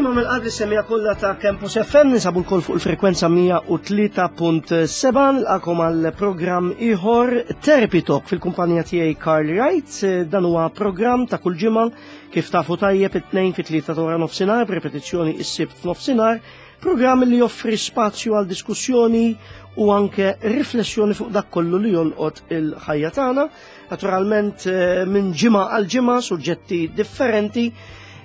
Dejjem mill qalb li kollha ta' Campus FM ninsabu lkoll fuq il-frekwenza 103.7 nilqakom għal programm ieħor Therapy Talk fil-kumpanija tiegħi Carl Wright. Dan huwa programm ta' kull ġimgħa kif tafu tajjeb it-tnejn fit-tlieta ta' wara nofsinhar b'repetizzjoni is-sibt f'nofsinhar, programm li joffri spazju għal diskussjoni u anke riflessjoni fuq dak kollu li jolqot il-ħajja tagħna. Naturalment eh, minn ġimgħa għal ġimgħa suġġetti differenti.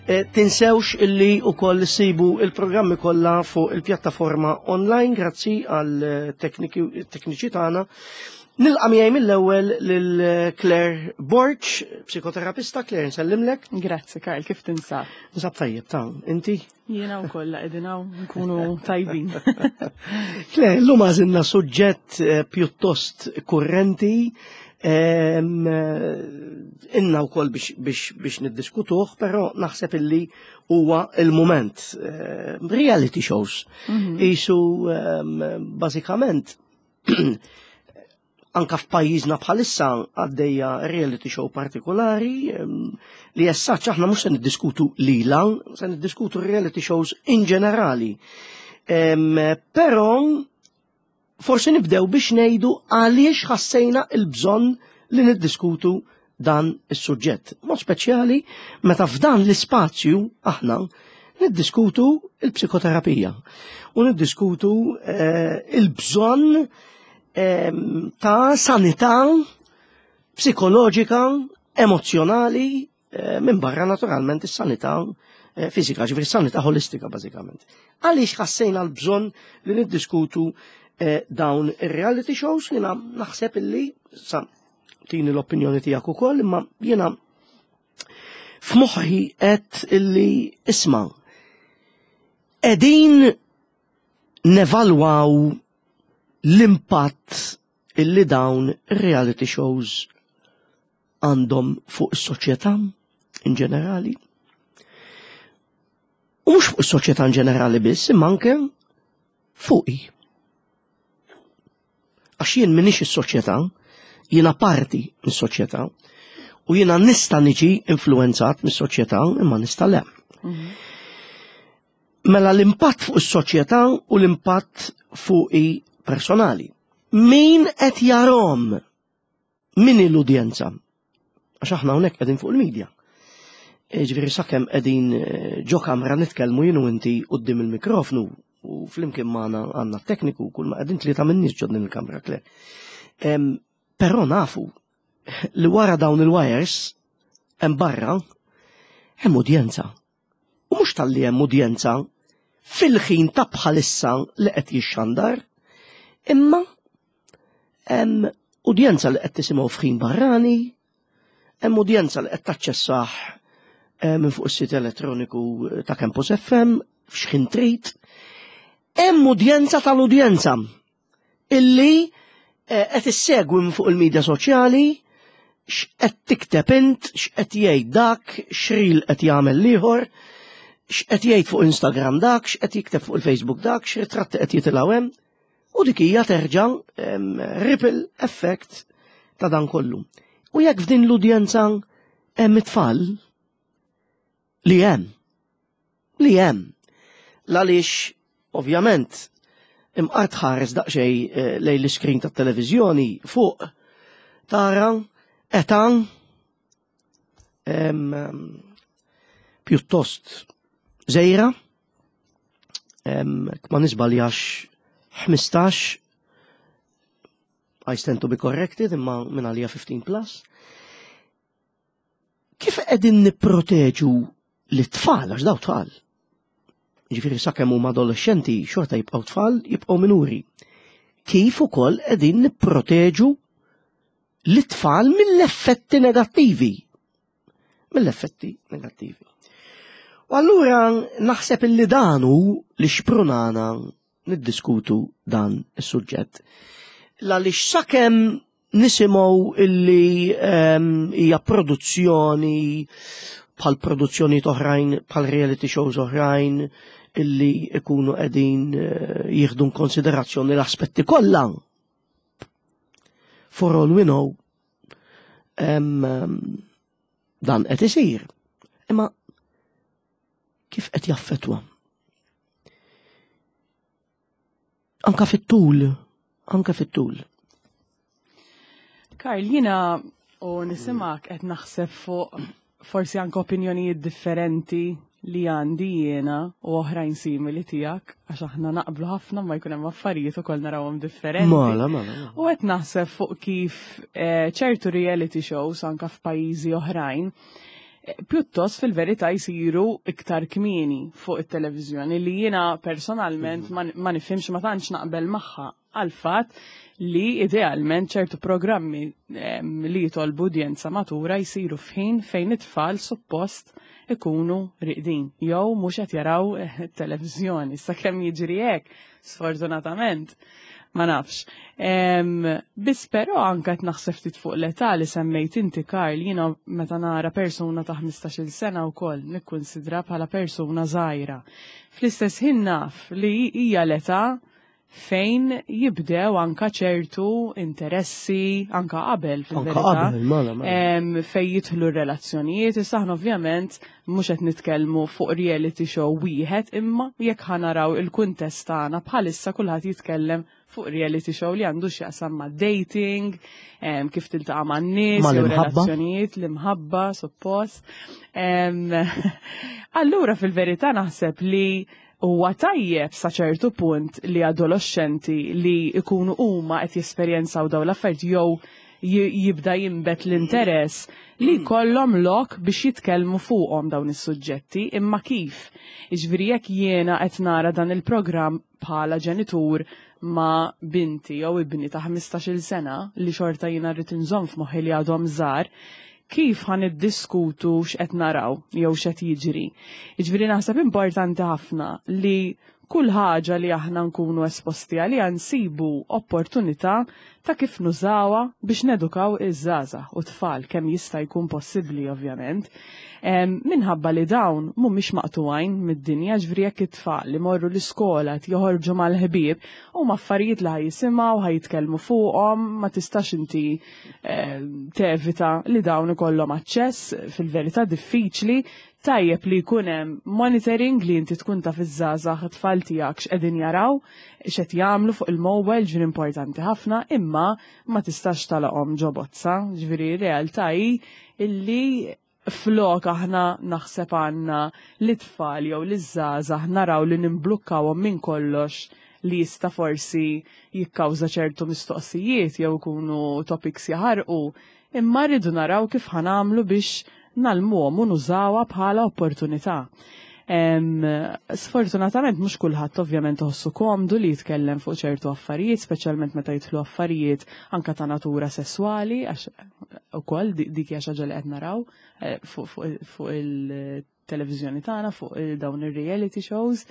Eh, tinsewx illi ukoll sibu il-programmi kollha fuq il-pjattaforma online grazzi għal eh, tekniċi tagħna. Nilqa' miegħi mill-ewwel lil Claire Borg, psikoterapista. Claire, nsellimlek. Grazzi Karl, kif tinsab? Nsab tajjeb ta' inti? Jiena wkoll qegħdin hawn nkunu tajbin. Claire, llum għażilna suġġett eh, pjuttost kurrenti eh, inna wkoll biex, biex, biex niddiskutuh, però naħseb illi huwa il-mument. Eh, reality shows. Isu bażikament anka f'pajjiżna bħalissa għaddejja reality show partikolari li jessaċ aħna mhux se niddiskutu lila, se niddiskutu reality shows in ġenerali. Però forsi nibdew biex ngħidu għaliex ħassejna il-bżonn li niddiskutu dan is-suġġett. Mod speċjali meta f'dan l-ispazju aħna niddiskutu il-psikoterapija u niddiskutu eh, il-bżonn ta' sanità psikoloġika, emozjonali, eh, minn barra naturalment is-sanità eh, fiżika, ġifieri sanità holistika bażikament. Għaliex ħassejna l-bżonn li niddiskutu eh, dawn ir-reality shows jiena naħseb illi sa tini l-opinjoni tiegħek ukoll, imma jiena f'moħħi qed illi isma' qegħdin nevalwaw l-impatt illi dawn reality shows għandhom fuq is-soċjetà in ġenerali. U mhux fuq is-soċjetà in ġenerali biss, imma anke fuqi. Għax jien minix is-soċjetà, jiena parti mis-soċjetà u jiena nista' niġi influenzat mis-soċjetà imma nista' le. Mela l-impatt fuq is-soċjetà u l-impatt fuqi personali. Min qed jarhom? Min hi l-udjenza? Għax aħna hawnhekk qegħdin fuq il-medja. E, ġifieri sakemm qegħdin e, ġo kamra nitkellmu jien u inti quddiem il-mikrofnu u flimkien magħna għandna t-tekniku kull ma qegħdin tlieta minn nies ġo din il-kamra kle. Però nafu li wara dawn il-wires hemm barra hemm udjenza. U mhux talli hemm udjenza fil-ħin ta' bħalissa li qed jixxandar, imma hemm udjenza li qed tisimgħu f'ħin barrani, hemm udjenza li qed taċċessah eh, minn fuq is-sit elettroniku ta' Campus FM f'xħin trid, hemm udjenza tal-udjenza illi eh, qed issegwi minn fuq il-medja soċjali x'qed tikteb int, x'qed jgħid dak, x'ril qed jagħmel l-ieħor, x'qed jgħid fuq Instagram dak, x'qed jikteb fuq il-Facebook dak, x'ritratti qed jitilgħu hemm. U dik hija terġa' ripple effect ta' dan kollu. U jekk f'din l-udjenza hemm it-tfal li hemm li hemm. L-għaliex, ovvjament, imqar tħares daqsxejn eh, lejn l-iskrin tat-televiżjoni fuq tara età pjuttost żejra, ma nisbaljax 15 I stand to be corrected imma minn għalija 15 plus. Kif qegħdin nipproteġu lit-tfal għax daw tfal? Ġifieri sakemm huma adolescenti xorta jibqgħu tfal, jibqgħu minuri. Kif ukoll qegħdin nipproteġu lit-tfal mill-effetti negattivi? Mill-effetti negattivi. U allura naħseb illi dan hu li xprunana niddiskutu dan is-suġġett. L-għaliex sakemm nisimgħu illi ehm, hija produzzjoni bħal produzzjoni oħrajn, bħal reality shows oħrajn illi ikunu qegħdin eh, jieħdu konsiderazzjoni l-aspetti kollha. For all we know, ehm, dan qed isir. Imma kif qed jaffettwa? Anka fit-tul, anka fit-tul. Karl, jiena u nisimak qed naħseb fuq forsi anke opinjonijiet differenti li għandi jiena u oħrajn simili tiegħek għax aħna naqblu ħafna ma jkun hemm affarijiet ukoll narawhom differenti. Mala, mala. mala. U qed naħseb fuq kif eh, ċertu reality shows anka f'pajjiżi oħrajn eh, pjuttost fil-verità jsiru iktar kmieni fuq it-televiżjoni li jiena personalment ma ma nifhimx ma tantx naqbel magħha għall-fatt li idealment ċertu programmi li jitolbu udjenza matura jsiru f'ħin fejn it-tfal suppost ikunu riqdin jew mhux qed jaraw televiżjoni. Sakemm jiġri hekk, sfortunatament, ma nafx. Biss però anke qed naħseb ftit fuq l-età li semmejt inti Karl, jiena meta nara persuna ta' 15-il sena wkoll nikkunsidra bħala persuna żgħira. Fl-istess ħin naf li hija l-età fejn jibdew anka ċertu interessi anka qabel fil-verità. Mela, mela. Fejn jidħlu r-relazzjonijiet, issa aħna ovvjament mhux qed nitkellmu fuq reality show wieħed, imma jekk ħa naraw il-kuntest tagħna bħalissa kulħadd jitkellem fuq reality show li għandu x'jaqsam ma' dating, kif tiltaqa' man-nies, jew relazzjonijiet, l-imħabba, suppost. Allura fil-verità naħseb li Huwa tajjeb sa ċertu punt li adoloxxenti li jkunu huma qed jesperjenzaw dawn l-affarijiet jew jibda jinbet l-interess li jkollhom lok biex jitkellmu fuqhom dawn is-suġġetti, imma kif? Jiġifieri jekk jiena qed nara dan il-programm bħala ġenitur ma' binti jew ibni ta' 15-il sena li xorta jiena rrid inżomm f'moħħi li għadhom żgħar, kif ħa niddiskutu x'qed naraw jew x'qed jiġri. Jiġifieri naħseb importanti ħafna li kull ħaġa li aħna nkunu esposti għaliha nsibu opportunità ta' kif nużawha biex nedukaw iż-żgħażagħ u tfal kemm jista' jkun possibbli ovvjament. Minħabba li dawn mhumiex maqtugħin mid-dinja, ġifieri jekk it-tfal imorru l-iskola qed joħorġu mal-ħbieb, huma affarijiet li ħa jisimgħu, ħa jitkellmu fuqhom, ma tistax inti tevita li dawn ikollhom aċċess, fil-verità diffiċli, tajjeb li jkun hemm monitoring li inti tkun taf iż-żgħażagħ it-tfal tiegħek x'qegħdin jaraw, x'qed jagħmlu fuq il-mobile, ġifieri importanti ħafna, imma ma tistax tagħlaqhom ġo bozza, ġifieri r-realtà hi illi flok aħna naħseb għandna lit-tfal jew liż-żgħażagħ naraw li nimblukkawhom minn kollox li jista' forsi jikkawża ċertu mistoqsijiet jew ikunu topics jaħarqu, imma rridu naraw kif ħa nagħmlu biex ngħallmuhom u nużawha bħala opportunità. Sfortunatament mhux kulħadd ovvjament iħossu komdu li jitkellem fuq ċertu affarijiet, speċjalment meta jidħlu affarijiet anka ta' natura sesswali, għax ukoll dik hija xi ħaġa li qed naraw eh, fuq il-televiżjoni tagħna, fuq eh, dawn ir-reality shows.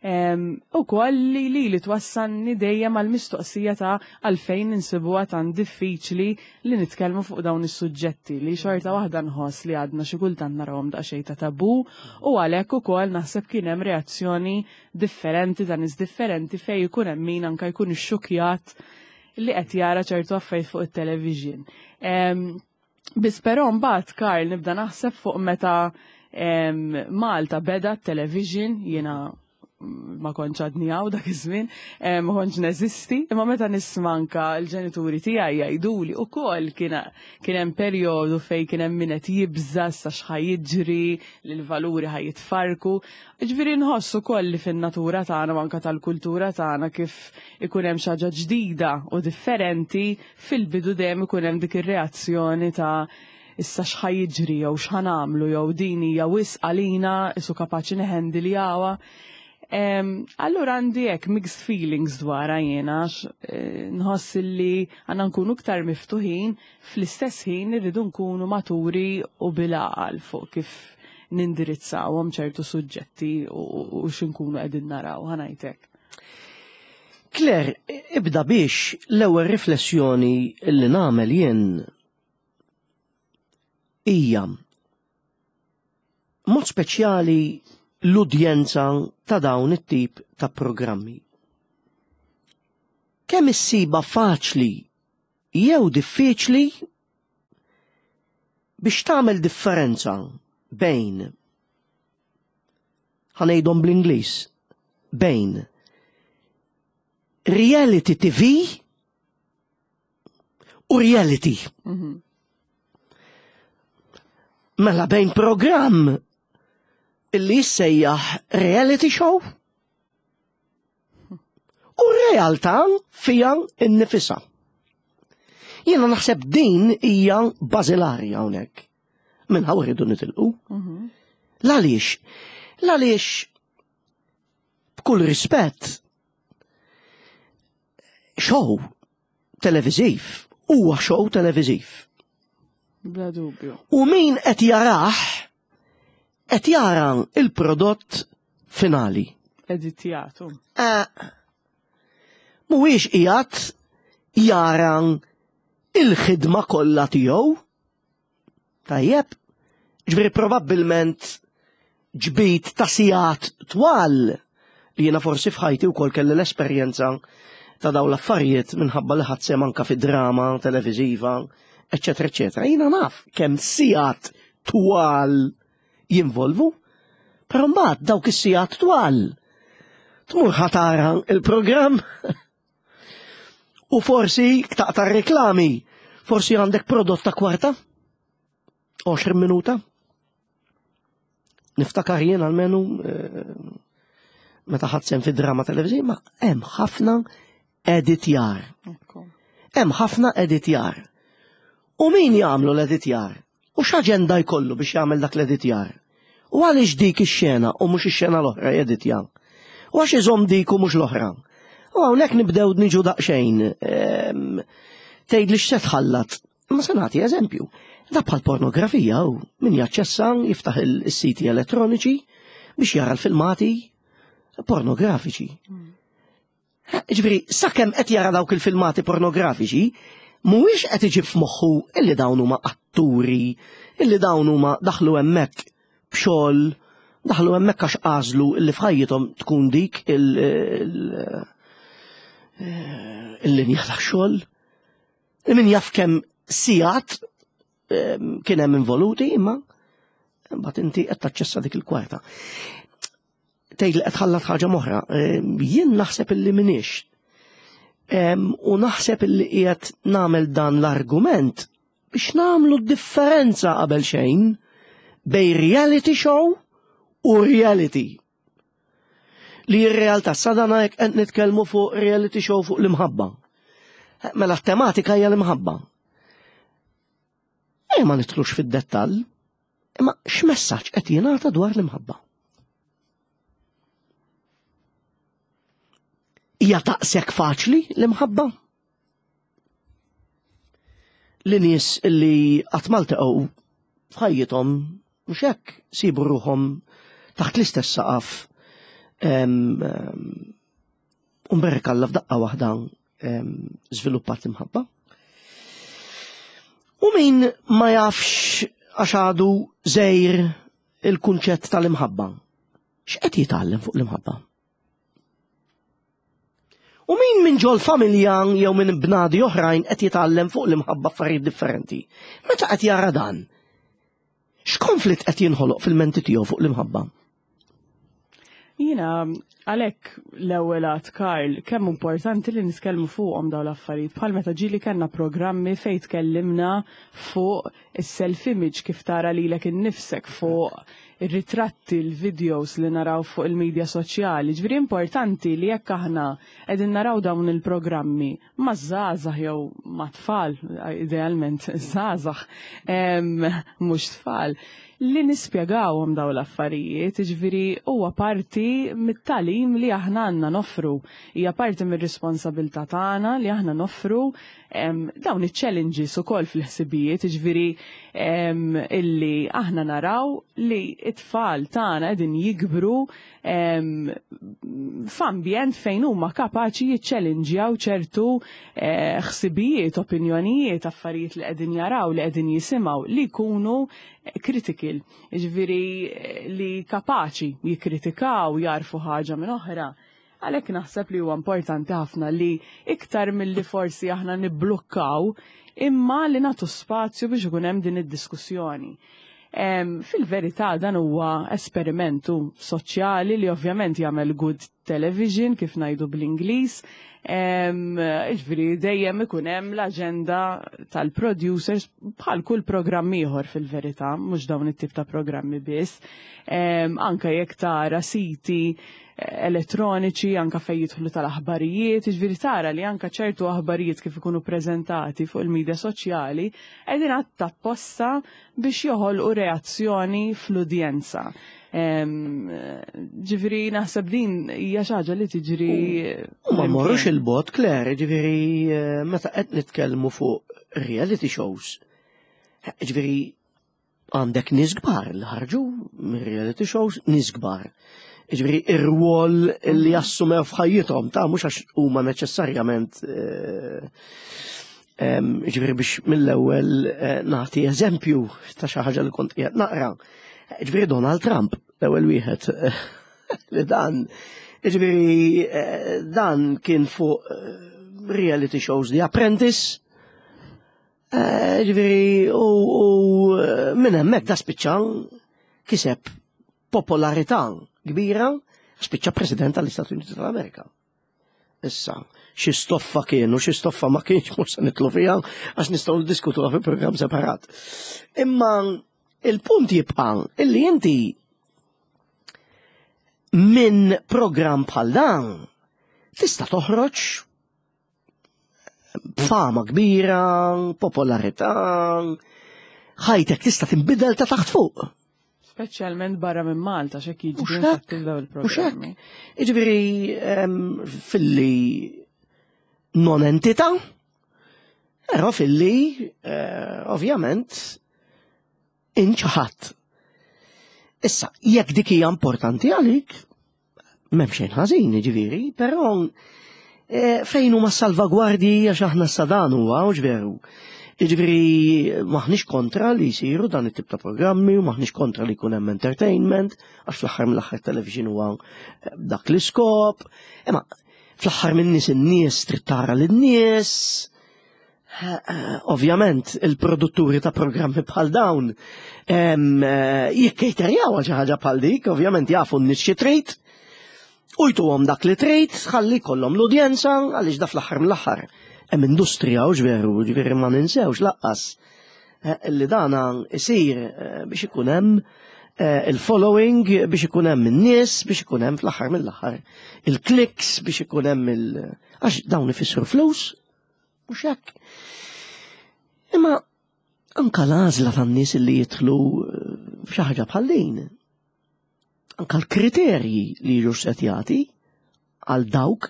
U koll li li li twassalni dejjem għal mistoqsija ta' għalfejn insibuha tant diffiċli li nitkellmu fuq dawn is-suġġetti li xorta waħda nħoss li għadna xi kultant narawhom daqsxejn ta' tabu u għalhekk ukoll naħseb kien hemm reazzjoni differenti ta' nies differenti fejn ikun hemm min anke jkun ixxukjat li qed jara ċertu affarijiet fuq it-television. Biss però mbagħad Karl nibda naħseb fuq meta Malta beda t-television jiena ma kontx għadni hawn dak iż-żmien, ma kontx neżisti, imma meta nisma' anka l-ġenituri tiegħi jgħiduli ukoll kien hemm perjodu fejn kien hemm min qed jibża' issa x'ħa jiġri, li l-valuri ħa jitfarrku. Jiġifieri nħoss ukoll li fin-natura tagħna u anke tal-kultura tagħna kif ikun hemm xi ħaġa ġdida u differenti, fil-bidu dejjem ikun hemm dik ir-reazzjoni ta' issa x'ħa jiġri jew x'ħa nagħmlu jew din hija wisq għalina isu kapaċi neħendiljawha. Allura għandi hekk mixed feelings dwarha jiena għax eh, nħoss li għandna nkunu iktar miftuħin fl-istess ħin irridu nkunu maturi u bil-għaqal fuq kif nindirizzawhom ċertu suġġetti u x'inkunu qegħdin naraw ħanajtek. Claire, ibda biex l-ewwel riflessjoni li nagħmel jien hija mod speċjali l-udjenza ta' dawn it-tip ta' programmi. Kemm issiba faċli jew diffiċli biex tagħmel differenza bejn ħanejdhom bl-Ingliż bejn. reality TV u reality. Mela bejn programm illi jissejjaħ reality show u realtà fija nnifisha. Jiena naħseb din hija bażilari hawnhekk. Minn hawn rridu nitilqu. L-għaliex? L-għaliex b'kull rispett show televiżiv huwa show televiżiv. Bla dubju. U min qed jarah qed jara il-prodott finali. Editjatu. Eh, mhuwiex qiegħed jara il-ħidma kollha tiegħu. Tajjeb, ġifieri probabbilment ġbid ta' sigħat twal li jiena forsi f'ħajti wkoll kelli l-esperjenza ta' dawn l-affarijiet minħabba li ħadd sehem anke fi drama televiżiva, eċetera, eċetera. Jiena naf kemm sigħat twal jinvolvu, però mbagħad dawk is-sigħat twal tmur ħa tara il-programm u forsi taqta' reklami, forsi għandek prodott ta' kwarta, 20 minuta. Niftakar jien almenu eh, meta ħadd sehem fi drama televiżiva, ma hemm ħafna editjar. Hemm ħafna editjar. U min jagħmlu l-editjar? U x'aġenda jkollu biex jagħmel dak l-editjar? U għaliex dik ix-xena u mhux ix-xena l-oħra jeditja? U għax iżomm dik u mhux l-oħra? U hawnhekk nibdew niġu daqsxejn. Ehm, tgħid li x'se tħallat. Ma se nagħti eżempju. Da bħal pornografija u min jaċċessa jiftaħ il-siti elettroniċi biex jara l-filmati pornografiċi. Ġifieri, sakemm qed jara dawk il-filmati pornografiċi, mhuwiex qed iġib f'moħħu illi dawn huma atturi, illi dawn huma daħlu hemmhekk b'xogħol, daħlu hemmhekk għax għażlu illi f'ħajjithom tkun dik il-linja ta' xogħol. Min jaf kemm sigħat kien hemm involuti imma mbagħad inti qed taċċessa dik il-kwarta. Tgħid li qed tħallat ħaġa moħra. Jien naħseb illi minix. U naħseb illi qiegħed nagħmel dan l-argument biex nagħmlu differenza qabel xejn bej reality show u reality. Li r-realtà sadana jekk qed nitkellmu fuq reality show fuq l-imħabba. Mela t-tematika hija l-imħabba. E ma nidħlux fid-dettall, imma x'messaġġ qed jingħata dwar l-imħabba? Hija taqsek faċli l-imħabba? Li nies li qatt ma ltaqgħu f'ħajjithom mhux hekk sibu ruħhom taħt l-istess saqaf U mberek Alla f'daqqa waħda żviluppat l-imħabba. U min ma jafx għax għadu żejr il-kunċett tal-imħabba, x'qed jitgħallem fuq l-imħabba? U min minn ġol familja jew minn bnadi oħrajn qed jitgħallem fuq l-imħabba affarijiet differenti? Meta qed jara dan? X'konflitt qed jinħoloq fil-menti tiegħu fuq l-imħabba? Jiena għalhekk l-ewwel għad Karl kemm importanti li nitkellmu fuqhom dawn l-affarijiet bħal meta ġieli kellna programmi fejn tkellimna fuq is-self image kif tara lilek innifsek fuq ir-ritratti, l-videos li naraw fuq il-medja soċjali. Ġifieri importanti li jekk aħna qegħdin naraw dawn il-programmi ma' żgħażagħ jew ma' tfal, idealment żgħażagħ, mhux tfal, li nispjegawhom dawn l-affarijiet, jiġifieri huwa parti mit-tagħlim li aħna għandna noffru. Hija parti mir-responsabilità tagħna li aħna noffru dawn iċ-challenges ukoll fil-ħsibijiet, jiġifieri illi aħna naraw li t-tfal tagħna qegħdin jikbru f'ambjent fejn huma kapaċi jiċċelinġjaw ċertu eh, ħsibijiet, opinjonijiet, affarijiet li qegħdin jaraw, li qegħdin jisimgħu li jkunu critical, jiġifieri eh, li kapaċi jikkritikaw, jarfu ħaġa minn oħra. Għalhekk naħseb li huwa importanti ħafna li iktar milli forsi aħna nibblukkaw imma li nagħtu spazju biex ikun hemm din id-diskussjoni. Fil-verità dan huwa esperimentu soċjali li ovvjament jagħmel good television kif ngħidu bl-Ingliż. Ġifieri dejjem ikun hemm l-aġenda tal-producers bħal kull programm ieħor fil-verità, mhux dawn it-tip ta' programmi biss. Anke jekk tara siti elettroniċi anka fejn jidħlu tal-aħbarijiet, ġifieri tara li anka ċertu aħbarijiet kif ikunu preżentati fuq il-medja soċjali qegħdin apposta biex joħolqu reazzjoni fl-udjenza. Ġifieri naħseb din hija xi ħaġa li tiġri. U ma mmorrux il-bogħod, Claire, ġifieri meta qed nitkellmu fuq reality shows. Ġifieri għandek nies kbar li ħarġu minn reality shows, nies kbar. Ġifieri ir-rwol li jassumew f'ħajjithom ta' mhux għax huma neċessarjament ġifieri biex mill-ewwel nagħti eżempju ta' xi ħaġa li kont qiegħed naqra. Ġifieri Donald Trump, l-ewwel wieħed li dan, ġifieri dan kien fuq reality shows The Apprentice, Ġifieri, u minn hemmhekk da spiċċa kiseb popolarità kbira, spiċċa President tal-Istati Uniti tal-Amerika. Issa, xi stoffa kienu, xi stoffa ma kienx mhux se nitlu fiha għax nistgħu niddiskutuha fi programm separat. Imma il-punt jibqa' illi inti minn programm bħal dan tista' toħroġ b'fama kbira, popolarità, ħajtek tista' tinbidel ta' taħt fuq. Speċjalment barra minn Malta x'hekk jiġri infatti f'dawn il-programmi. Jiġifieri filli non entità, però filli eh, ovvjament inċaħat. Issa, jekk dik hija importanti għalik, m'hemm xejn ħażin, jiġifieri, però eh, fejn huma salvagwardji għax aħna sa dan huwa hux veru. Jiġifieri maħniex kontra li jsiru dan it-tip ta' programmi u maħniex kontra li jkun hemm entertainment, għax fl-aħħar mill-aħħar television huwa eh, dak l-iskop. Imma fl-aħħar minn nies in-nies trid tara lin-nies, Ovvjament, il-produtturi ta' programmi bħal dawn jikkejterjaw għal xi ħaġa bħal dik, ovvjament jafu n-nies xi trid, u jtuhom dak li trid, ħalli jkollhom l-udjenza għaliex da fl-aħħar mill-aħħar. Hemm industrija u veru, ġifieri ma ninsewx laqqas eh, li dana isir eh, biex ikun hemm eh, il-following, biex ikun hemm in-nies, biex ikun hemm fl-aħħar mill-aħħar il-clicks, biex ikun hemm il- għax dawn ifissru flus, Mhux hekk. Imma anka l-għażla tan-nies li jidħlu eh, f'xi ħaġa bħal din. Anka l-kriterji li jiġu setjati għal dawk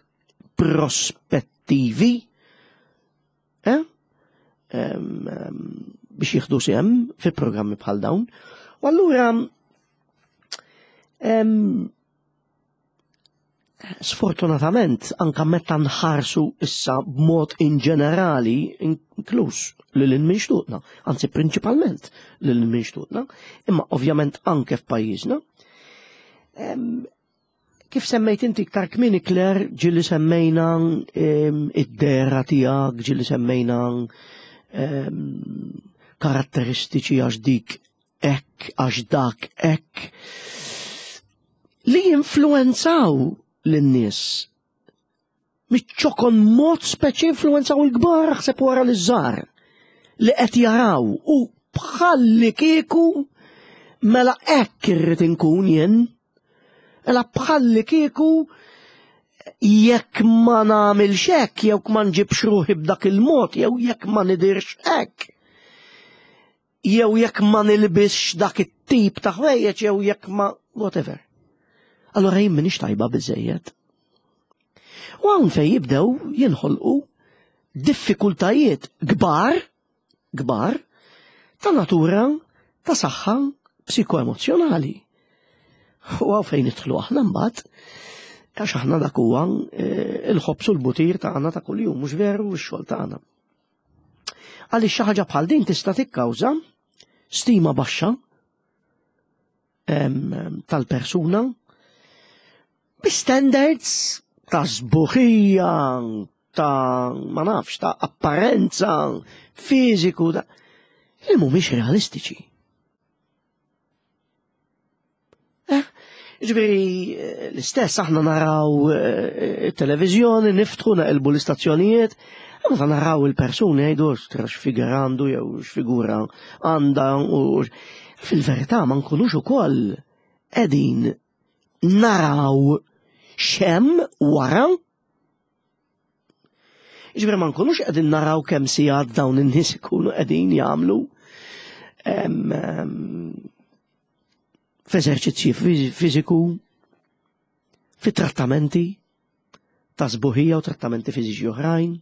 prospettivi eh? biex jieħdu sehem fi programmi bħal dawn. U allura Sfortunatament, anka meta nħarsu issa b'mod in ġenerali, inkluż lil minn xtutna, anzi prinċipalment lil minn xtutna, imma ovvjament anke f'pajjiżna. Kif semmejt inti iktar kmieni Claire, ġieli semmejna id-dera tiegħek, ġieli semmejna karatteristiċi għax dik hekk għax dak hekk li jinfluenzaw lin-nies. Miċ-ċokon mod speċi influenzaw il-kbar aħseb wara li żgħar li qed jaraw u bħalli kieku mela hekk irrid inkun jien. Mela bħalli kieku jekk ma nagħmilx hekk jew ma nġibx ruħi b'dak il-mod jew jekk ma nidirx hekk. Jew jekk ma nilbisx dak it-tip ta' ħwejjeġ jew jekk ma whatever. Allora jien m'iniex tajba biżejjed. U hawn fejn jibdew jinħolqu diffikultajiet kbar, kbar, ta' natura ta' saħħa psikoemozzjonali. U hawn fejn nidħlu aħna mbagħad, għax aħna dak huwa eh, il-ħobs u l-butir tagħna ta' kuljum, mhux veru x-xogħol tagħna. Għaliex xi ħaġa bħal din tista' tikkawża stima baxxa tal-persuna bi standards ta' sbuħija, ta' ma nafx, ta' apparenza, fiżiku, ta' li mhumiex realistiċi. Eh? Ġifieri l-istess aħna naraw it-televiżjoni, niftħu naqilbu l-istazzjonijiet, meta naraw il-persuni jgħidu tra x'figura għandu jew x'figura għandha u fil-verità ma nkunux ukoll qegħdin naraw x'hemm wara. Ġifieri ma nkunux qegħdin naraw kemm sigħat dawn in-nies ikunu qegħdin jagħmlu f'eżerċizzji fiżiku, fi trattamenti ta' sbuħija u trattamenti fiżiċi oħrajn,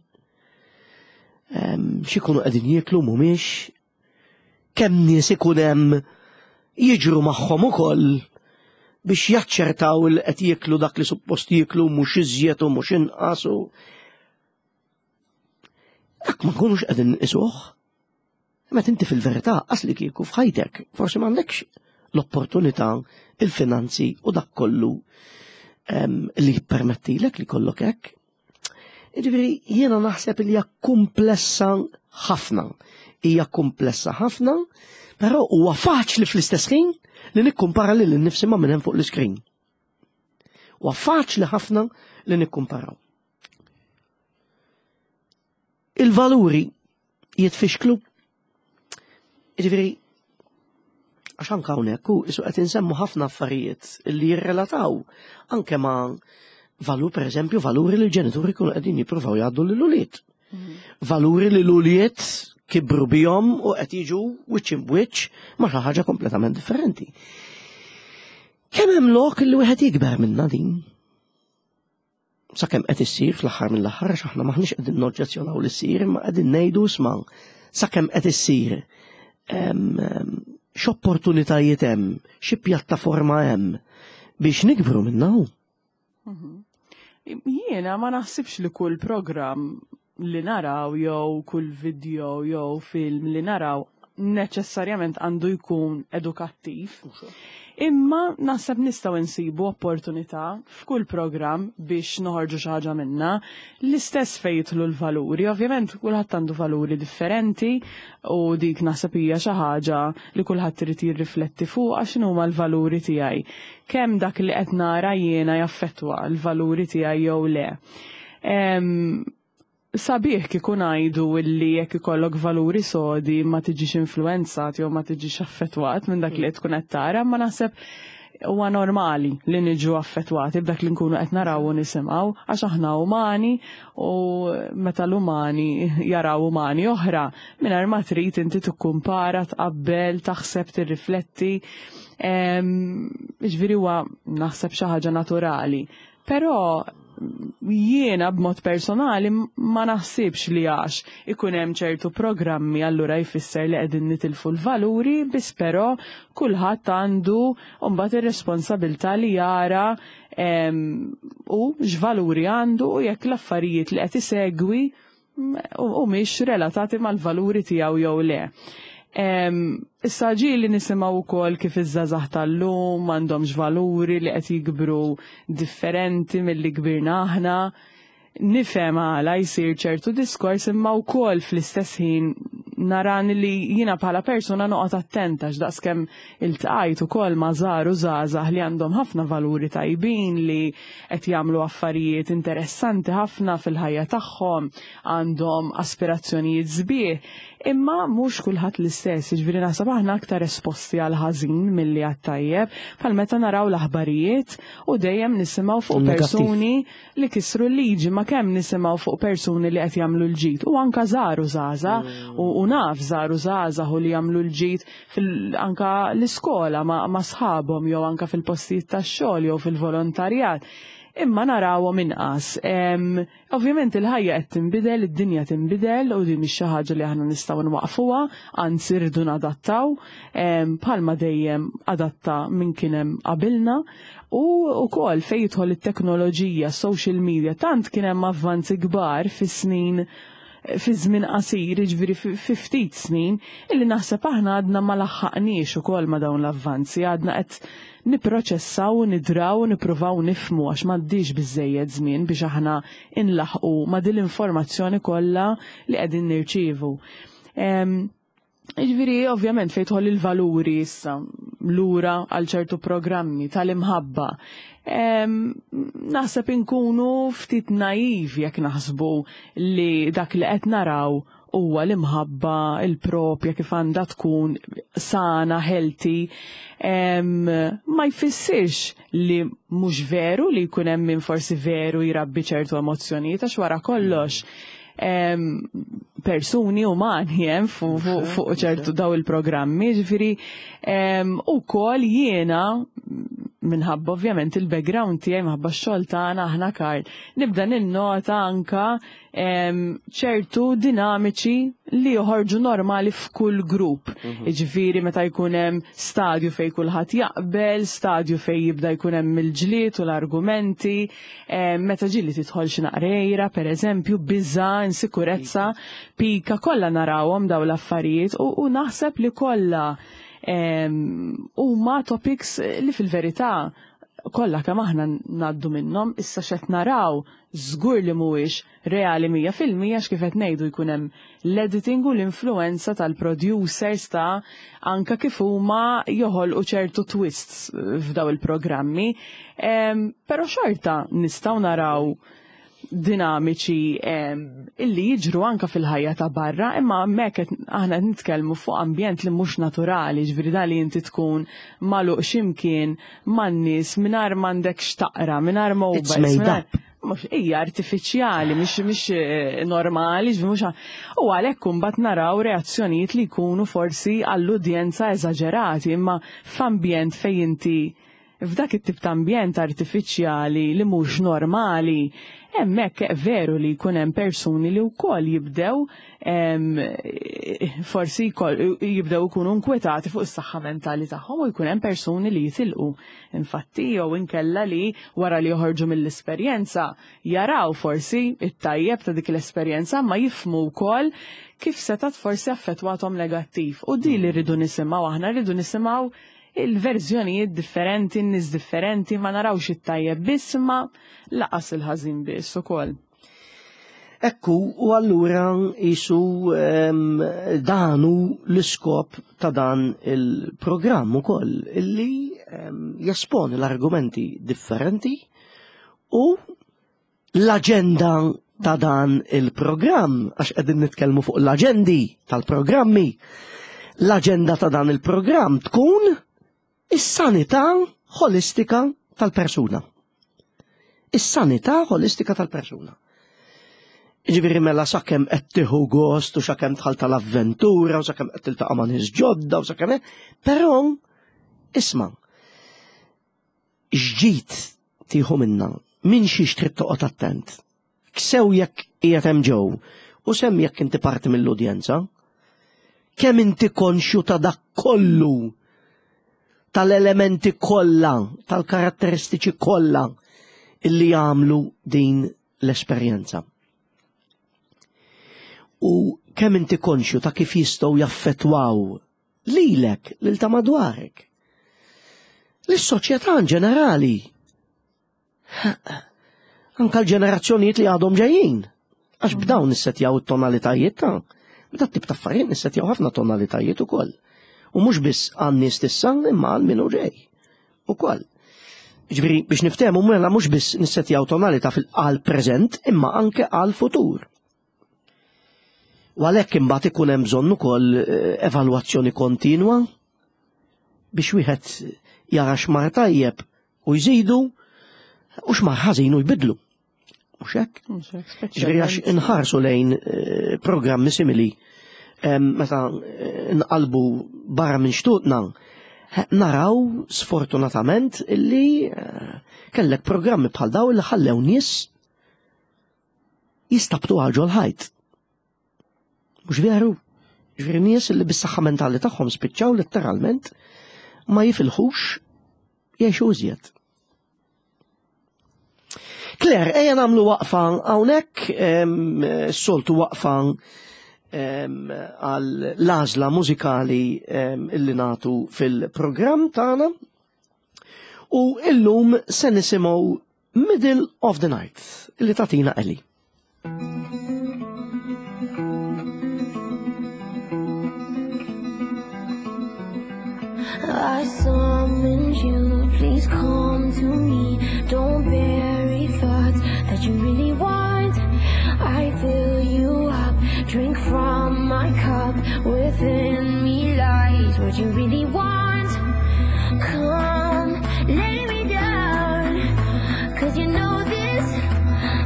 x'ikunu qegħdin jieklu mhumiex, kemm nies ikun hemm jiġru magħhom ukoll biex jaċċertaw li qed jieklu dak li suppost jieklu mhux iżjed u mhux inqas u dak ma nkunux qegħdin nqisuh. Meta inti fil-verità qas li kieku f'ħajtek forsi m'għandekx l-opportunità, il-finanzi u dak kollu li jippermettilek li kollok hekk. Jiġifieri jiena naħseb li hija komplessa ħafna. Hija komplessa ħafna, però huwa faċli fl-istess ħin li nikkumpara lil innifsi ma' minn hemm fuq l-iskrin. Huwa faċli ħafna li nikkumparaw. Il-valuri jitfixklu. Jiġifieri għax anke hawnhekk hu isu qed insemmu ħafna affarijiet li jirrelataw anke ma' valur pereżempju valuri li l-ġenituri jkunu qegħdin jippruvaw jgħaddu lil ulied. Valuri li l-ulied kibru bihom u qed jiġu wiċċ imb'wiċċ ma' xi ħaġa kompletament differenti. Kemm hemm lok li wieħed jikber minna din? Sakemm qed issir fl-aħħar mill-aħħar għax aħna maħniex qegħdin noġġezzjonaw li ssir, imma qegħdin ngħidu isma' sakemm qed issir x'opportunitajiet hemm, xi pjattaforma hemm biex nikbru minna hu. Jiena ma naħsibx li kull programm li naraw jew kull video jew film li naraw neċessarjament għandu jkun edukattiv. Imma naħseb nistgħu nsibu opportunità f'kull programm biex noħorġu xi ħaġa minna. L-istess fejn jidħlu l-valuri, ovvjament kulħadd għandu valuri differenti u dik naħseb hija xi ħaġa li kulħadd irid jirrifletti fuqha x'inhuma l-valuri tiegħi. Kemm dak li qed nara jiena jaffettwa l-valuri tiegħi jew le. Sabiħ kieku ngħidu illi jekk ikollok valuri sodi ma tiġix influenzat jew ma tiġix affettwat minn dak li qed tkun qed tara, ma naħseb huwa normali li niġu affettwati b'dak li nkunu qed naraw u nisimgħu għax aħna umani u meta l-umani jaraw umani oħra mingħajr ma trid inti tikkumpara, tqabbel, taħseb, tirrifletti. Ġifieri huwa naħseb xi ħaġa naturali. Però jiena b'mod personali ma naħsibx li għax ikun hemm ċertu programmi allura jfisser li qegħdin nitilfu l-valuri, biss però kulħadd għandu mbagħad ir-responsabilità li jara u x'valuri għandu u jekk l-affarijiet li qed isegwi u mhix relatati mal-valuri tiegħu jew le. Issa ġieli nisimgħu wkoll kif iż-żgħażagħ tal-lum m'għandhomx valuri li qed jikbru differenti milli kbirna aħna. Nifhem għala jsir ċertu diskors imma wkoll fl-istess ħin naran li jiena bħala persuna noqgħod attenta għax daqskemm iltqajt ukoll ma' żgħar u żgħażagħ li għandhom ħafna valuri tajbin li qed jagħmlu affarijiet interessanti ħafna fil-ħajja tagħhom, għandhom aspirazzjonijiet sbieħ, imma mhux kulħadd l-istess, jiġifieri naħseb aħna aktar esposti għal ħażin milli għat-tajjeb, bħal meta naraw l-aħbarijiet u dejjem nisimgħu fuq persuni li kisru l-liġi, ma kemm nisimgħu fuq persuni li qed jagħmlu l-ġid u anka żgħar u żgħażagħ u naf żgħar u żgħażagħ u li jagħmlu l-ġid anka l-iskola ma' sħabhom jew anka fil-postijiet tax-xogħol jew fil-volontarjat. Imma narawhom inqas. Ovvjament il-ħajja qed tinbidel, id-dinja tinbidel u din mhix xi ħaġa li aħna nistgħu nwaqfuha, anzi rridu nadattaw, bħalma dejjem adatta min kien hemm qabilna. U wkoll fejn jidħol it-teknoloġija, social media, tant kien hemm avvanzi kbar fis-snin fi żmien qasir, jiġifieri fi ftit snin, illi naħseb aħna għadna ma laħħaqniex ukoll ma' dawn l-avvanzi, għadna qed nipproċessaw u nidraw u nippruvaw nifhmu għax m'għaddiex biżżejjed żmien biex aħna inlaħqu ma' din l-informazzjoni kollha li qegħdin nirċievu. Ġifieri, ovvjament, fejn tħoll il-valuri issa lura għal ċertu programmi tal-imħabba. Naħseb inkunu ftit naiv jekk naħsbu li dak li qed naraw huwa l-imħabba il-propja kif għandha tkun sana, healthy, ma jfissirx li mhux veru li jkun hemm min forsi veru jrabbi ċertu emozzjonijiet għax wara kollox persuni umani hemm fuq ċertu daw il-programmi, ġifieri ukoll jiena minħabba ovvjament il-background tiegħi minħabba x-xogħol tagħna aħna Karl, nibda ninnota anka ċertu dinamiċi li joħorġu normali f'kull grupp. Jiġifieri meta jkun hemm stadju fejn kulħadd jaqbel, stadju fejn jibda jkun hemm il-ġlied u l-argumenti, meta ġieli tidħol xi naqrejra, pereżempju, biża', insikurezza, pika, kollha narawhom dawn l-affarijiet u naħseb li kollha huma topics li fil-verità kollha kemm aħna ngħaddu minnhom, issa x'qed naraw żgur li mhuwiex reali 100% għax kif qed ngħidu jkun hemm l-editing u l-influenza tal-producers ta' anka kif huma joħolqu ċertu twists f'daw il-programmi. Però xorta nistgħu naraw dinamiċi illi jiġru anka fil-ħajja ta' barra, imma hemmhekk aħna qed nitkellmu fuq ambjent li mhux naturali, ġifieri da li inti tkun magħluq x'imkien man-nies mingħajr m'għandek x'taqra, mingħajr It's mobiles, made up. Mhux hija artifiċjali, mhix normali, ġifieri mhux u għalhekk imbagħad naraw reazzjonijiet li jkunu forsi għall-udjenza eżaġerati, imma f'ambjent fejn inti f'dak it-tip ta' ambjent artifiċjali li mhux normali, hemmhekk veru li jkun hemm persuni li wkoll jibdew forsi jibdew ikunu nkwetati fuq is-saħħa mentali tagħhom u jkun hemm persuni li jitilqu. Infatti jew inkella li wara li joħorġu mill-esperjenza jaraw forsi it-tajjeb ta' dik l-esperjenza ma jifhmu wkoll kif setat forsi affettwathom negattiv. U di li rridu nisimgħu aħna, rridu nisimgħu il-verżjonijiet differenti, n-nies differenti, ma narawx it-tajjeb biss ma laqas il-ħażin biss ukoll. Ekku, u allura jisu danu l-iskop ta' dan il-programm ukoll, illi jesponi l-argumenti differenti u l-aġenda ta' dan il-programm, għax qegħdin nitkellmu fuq l-aġendi tal-programmi, l-aġenda ta' dan il-programm tkun is-sanità ħolistika tal-persuna. Is-sanità ħolistika tal-persuna. Ġifieri mela sakemm qed tieħu gost u sakemm tħall tal-avventura u sakemm qed tiltaqa' ma' nies ġodda u sakemm però isma' x'ġid tieħu minna, minn xiex trid toqgħod attent. Sew jekk qiegħed hemm ġew u semm jekk inti parti mill-udjenza, kemm inti konxju ta' dak kollu, tal-elementi kollha, tal-karatteristiċi kollha illi jagħmlu din l-esperjenza. U kemm inti konxju ta' kif jistgħu jaffettwaw lilek, lil ta' madwarek, lis-soċjetà in ġenerali. Anka l-ġenerazzjonijiet li għadhom ġejjin. Għax b'dawn nissetjaw it-tonalitajiet ta' b'dat tip ta' affarijiet nissetjaw ħafna tonalitajiet ukoll. U mhux biss għan-nies tissa imma għal min hu ġej ukoll. Ġifieri biex niftehmu mela mhux biss nissetjaw tonalità fil-għal preżent imma anke għal futur. U għalhekk imbagħad ikun hemm bżonn ukoll evalwazzjoni kontinwa biex wieħed jara x'mar tajjeb u jżidu u x'mar ħażin u jbidlu. Mhux hekk? Mhux hekk, Ġifieri għax speċjalment. inħarsu lejn programmi simili meta nqalbu barra minn xtutna, naraw sfortunatament illi kellek programmi bħal daw li ħallew nies jistabtu għal ġol ħajt. Mhux veru? Ġifieri nies li bis-saħħa mentali tagħhom spiċċaw letteralment ma jifilħux jgħixu iżjed. Claire, ejja nagħmlu waqfa hawnhekk, soltu waqfa għal l-għażla mużikali illi nagħtu fil-programm tagħna. U illum se nisimgħu Middle of the Night li tagħtina Ellie. I summoned you, please come to me. Don't bury thoughts that you really want. I fill you up, drink from my cup. Within me lies what you really want. Come, lay me down. Cause you know this,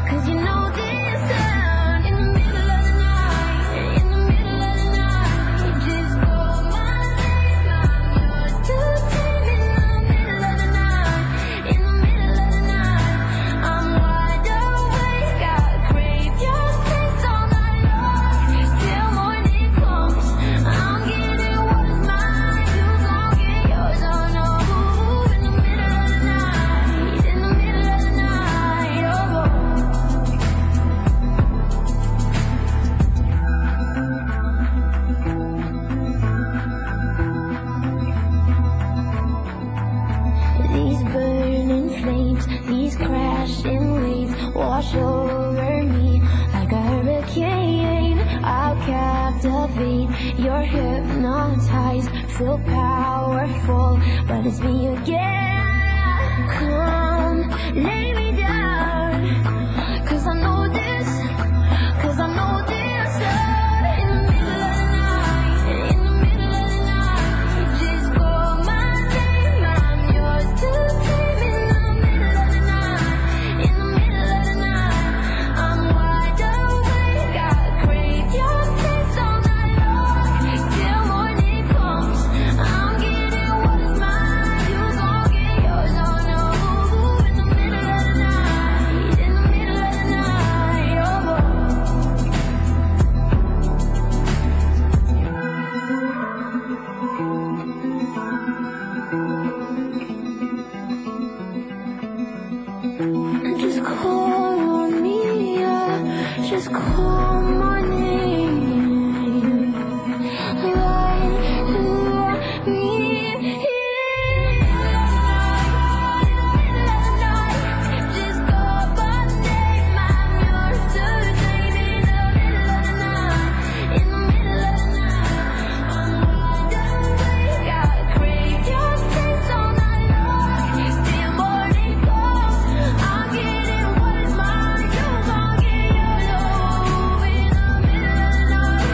cause you know this sound. In the middle of the night, in the middle of the night, just call my name. I'm yours to tame. In the middle of the night, in the middle of the night, I'm wide awake. I crave your kiss all night long till morning comes. I'm getting what's mine, you gon' get yours. Oh no, in the middle of the night, in the middle of the night, oh. These burning flames, these crashing waves wash over me like a hurricane. I'll captivate, you're hypnotized, feel powerful, but it's me again. Come, lay me down, cause I know this, cause I know this. In the middle of the night, in the middle of the night, just call my name. I'm yours to tame. In the middle of the night, in the middle of the night, I'm wide awake. I crave your kiss all night long till morning comes. I'm getting what's mine, you gon' get yours. Oh no, in the middle of the night, in the middle of the night, oh. Just call on me, yeah. Just call my name. Let me in. Just call my name. I'm yours to tame. In the middle of the night, in the middle of the night, I'm wide awake. I crave your kiss all night long till morning comes. I'm getting what is mine, you gon' get yours. Oh, in the middle of the night,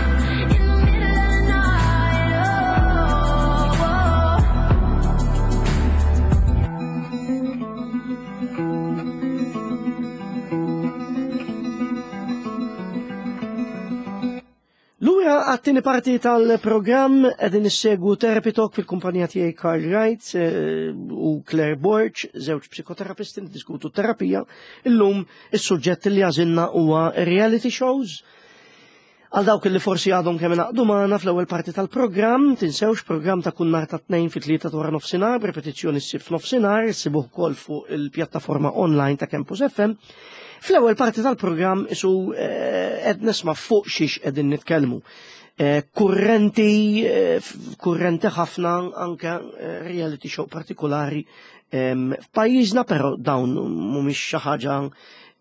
in the middle of the night, oh. oh. Lura għat-tieni parti tal-programm qegħdin issegwu Therapy Talk fil-kumpanija tiegħi Karl Wright eh, u Claire Borg, żewġ psikoterapisti niddiskutu terapija. Illum is-suġġett li għażilna huwa reality shows. Għal dawk li forsi għadhom kemm ingħaqdu magħna fl-ewwel parti tal-programm, tinsewx programm ta' kull nhar ta' tnejn fit-tlieta wara nofsinhar, b'repetizzjoni ssir f'nofsinhar, issibuh ukoll fuq il-pjattaforma online ta' Campus FM. Fl-ewwel parti tal-programm isu eh, qed nisma' fuq xiex qegħdin nitkellmu. Eh, Kurrenti, eh, kurrenti ħafna anke reality show partikolari em, f'pajjiżna, però dawn mhumiex xi ħaġa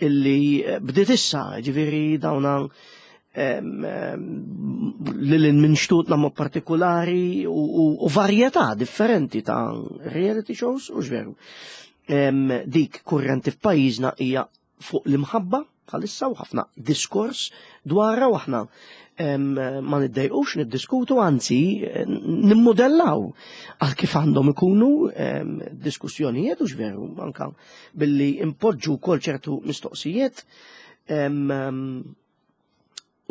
illi bdiet issa, ġifieri dawna lil minn xtutna mod partikolari u, u, u varjetà differenti ta' reality shows u x'veru. Dik kurrenti f'pajjiżna hija fuq l-imħabba bħalissa u ħafna diskors dwarha u aħna ma niddejqux niddiskutu, anzi nimmodellaw għal kif għandhom ikunu diskussjonijiet u x'veru anka billi impoġġu wkoll ċertu mistoqsijiet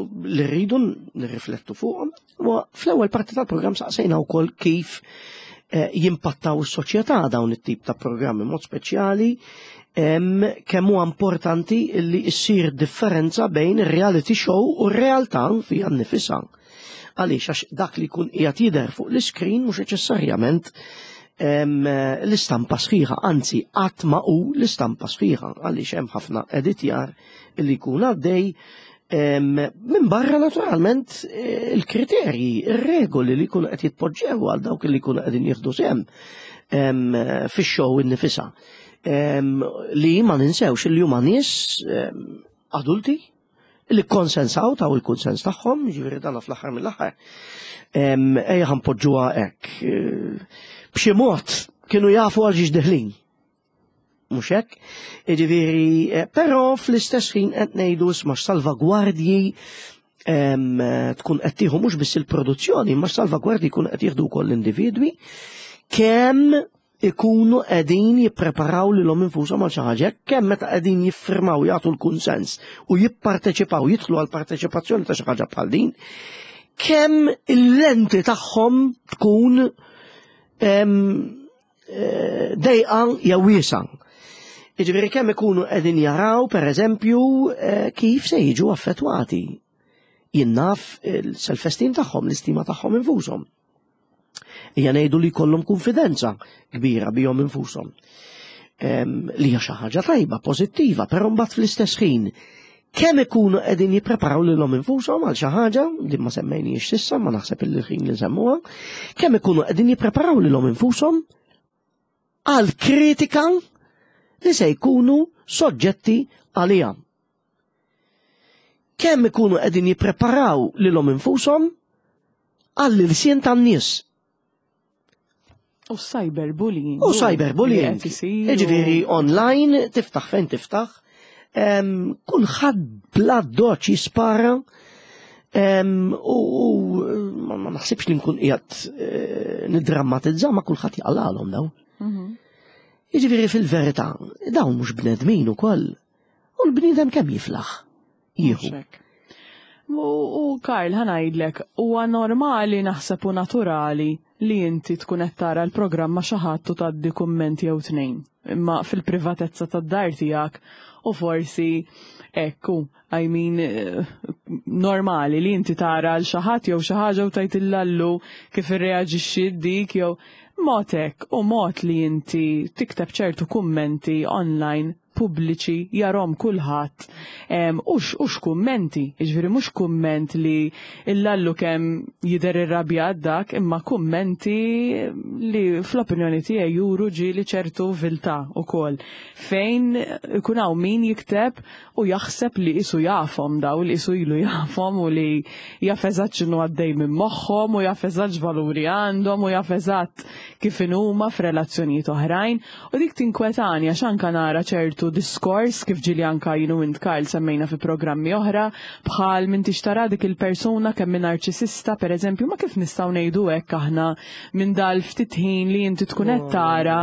li rridu nirriflettu fuqhom. U fl-ewwel parti tal-programm saqsejna wkoll kif jimpattaw is-soċjetà dawn it-tip ta' programmi mod speċjali kemm huwa importanti li ssir differenza bejn ir-reality show u r-realtà fiha nnifisha. Għaliex għax dak li jkun qiegħed jidher fuq l-iskrin mhux neċessarjament l-istampa sħiħa, anzi qatt ma hu l-istampa sħiħa għaliex hemm ħafna editjar li jkun għaddej minn barra naturalment eh, il-kriterji, ir-regoli li jkunu qed jitpoġġew għal dawk li jkunu qegħdin jieħdu sehem fix-show innifisha. Li ma ninsewx li huma nies adulti Li konsensaw taw il-kunsens tagħhom, ġifieri dana fl-aħħar mill-aħħar. Ejja ħanpoġġuha hekk. B'xi mod kienu jafu għal xiex deħlin. Mhux hekk? Jiġifieri, però fl-istess ħin qed ngħidu isma' salvagwardji tkun qed tieħu mhux biss il-produzzjoni, imma salvagwardji jkunu qed jieħdu wkoll l-individwi kemm ikunu qegħdin jippreparaw lilhom infushom għal xi ħaġa, kemm meta qegħdin jiffirmaw jagħtu l-kunsens u jipparteċipaw, jidħlu għal parteċipazzjoni ta' xi ħaġa bħal din, kemm il-lenti tagħhom tkun dejqa jew wiesa. Jiġifieri kemm ikunu qegħdin jaraw, pereżempju, kif se jiġu affettwati. Jien naf il-self-esteem tagħhom, l-istima tagħhom infushom. Ejja ngħidu li jkollhom konfidenza kbira bihom infushom. Li hija xi ħaġa tajba, pożittiva, però mbagħad fl-istess ħin kemm ikunu qegħdin jippreparaw lilhom infushom għal xi ħaġa li ma semmejniex s'issa, ma naħseb illi ħin li nsemmuha, kemm ikunu qegħdin jippreparaw lilhom infushom għal kritika li se jkunu soġġetti għaliha. Kemm ikunu qegħdin jippreparaw lilhom infushom għall-ilsien tan-nies. U cyberbullying. U cyberbullying. Jiġifieri online, tiftaħ fejn tiftaħ, kulħadd bla doċ jispara u ma naħsibx li nkun qiegħed eh, niddrammatizza ma kulħadd jaqlalhom dawn. Mhm. Jiġifieri fil-verità, dawn mhux bnedmin ukoll. U l-bniedem kemm jiflaħ? Jieħu. U Karl, ħanajdlek, huwa normali naħseb u naturali li inti tkun qed tara l-programm ma' xi ħadd u tgħaddi kumment jew tnejn. Imma fil-privatezza tad-dar tiegħek u forsi ekku, I mean, eh, normali li inti tara l xi ħadd jew xi ħaġa u tgħid illallu kif irreaġixxi dik jew mod hekk u mod li inti tikteb ċertu kummenti online pubbliċi jarhom kulħadd u x'kummenti, jiġifieri mhux kumment li illallu kemm jidher irrabjat dak, imma kummenti li fl-opinjoni tiegħi juru ġieli ċertu viltà wkoll fejn ikun hawn min jikteb u jaħseb li qisu jafhom daw, li qisu ilu jafhom u li jaf eżatt x'inhu għaddej minn moħħhom u jaf eżatt x'valuri għandhom u jaf eżatt kif inhuma f'relazzjonijiet oħrajn. U dik tinkwetani għax anka nara ċertu diskors kif ġieli anka jien u int Karl semmejna fi programmi oħra bħal m'intix tara dik il-persuna kemm hi narċisista pereżempju ma kif nistgħu ngħidu hekk aħna minn dal ftit ħin li inti tkun qed tara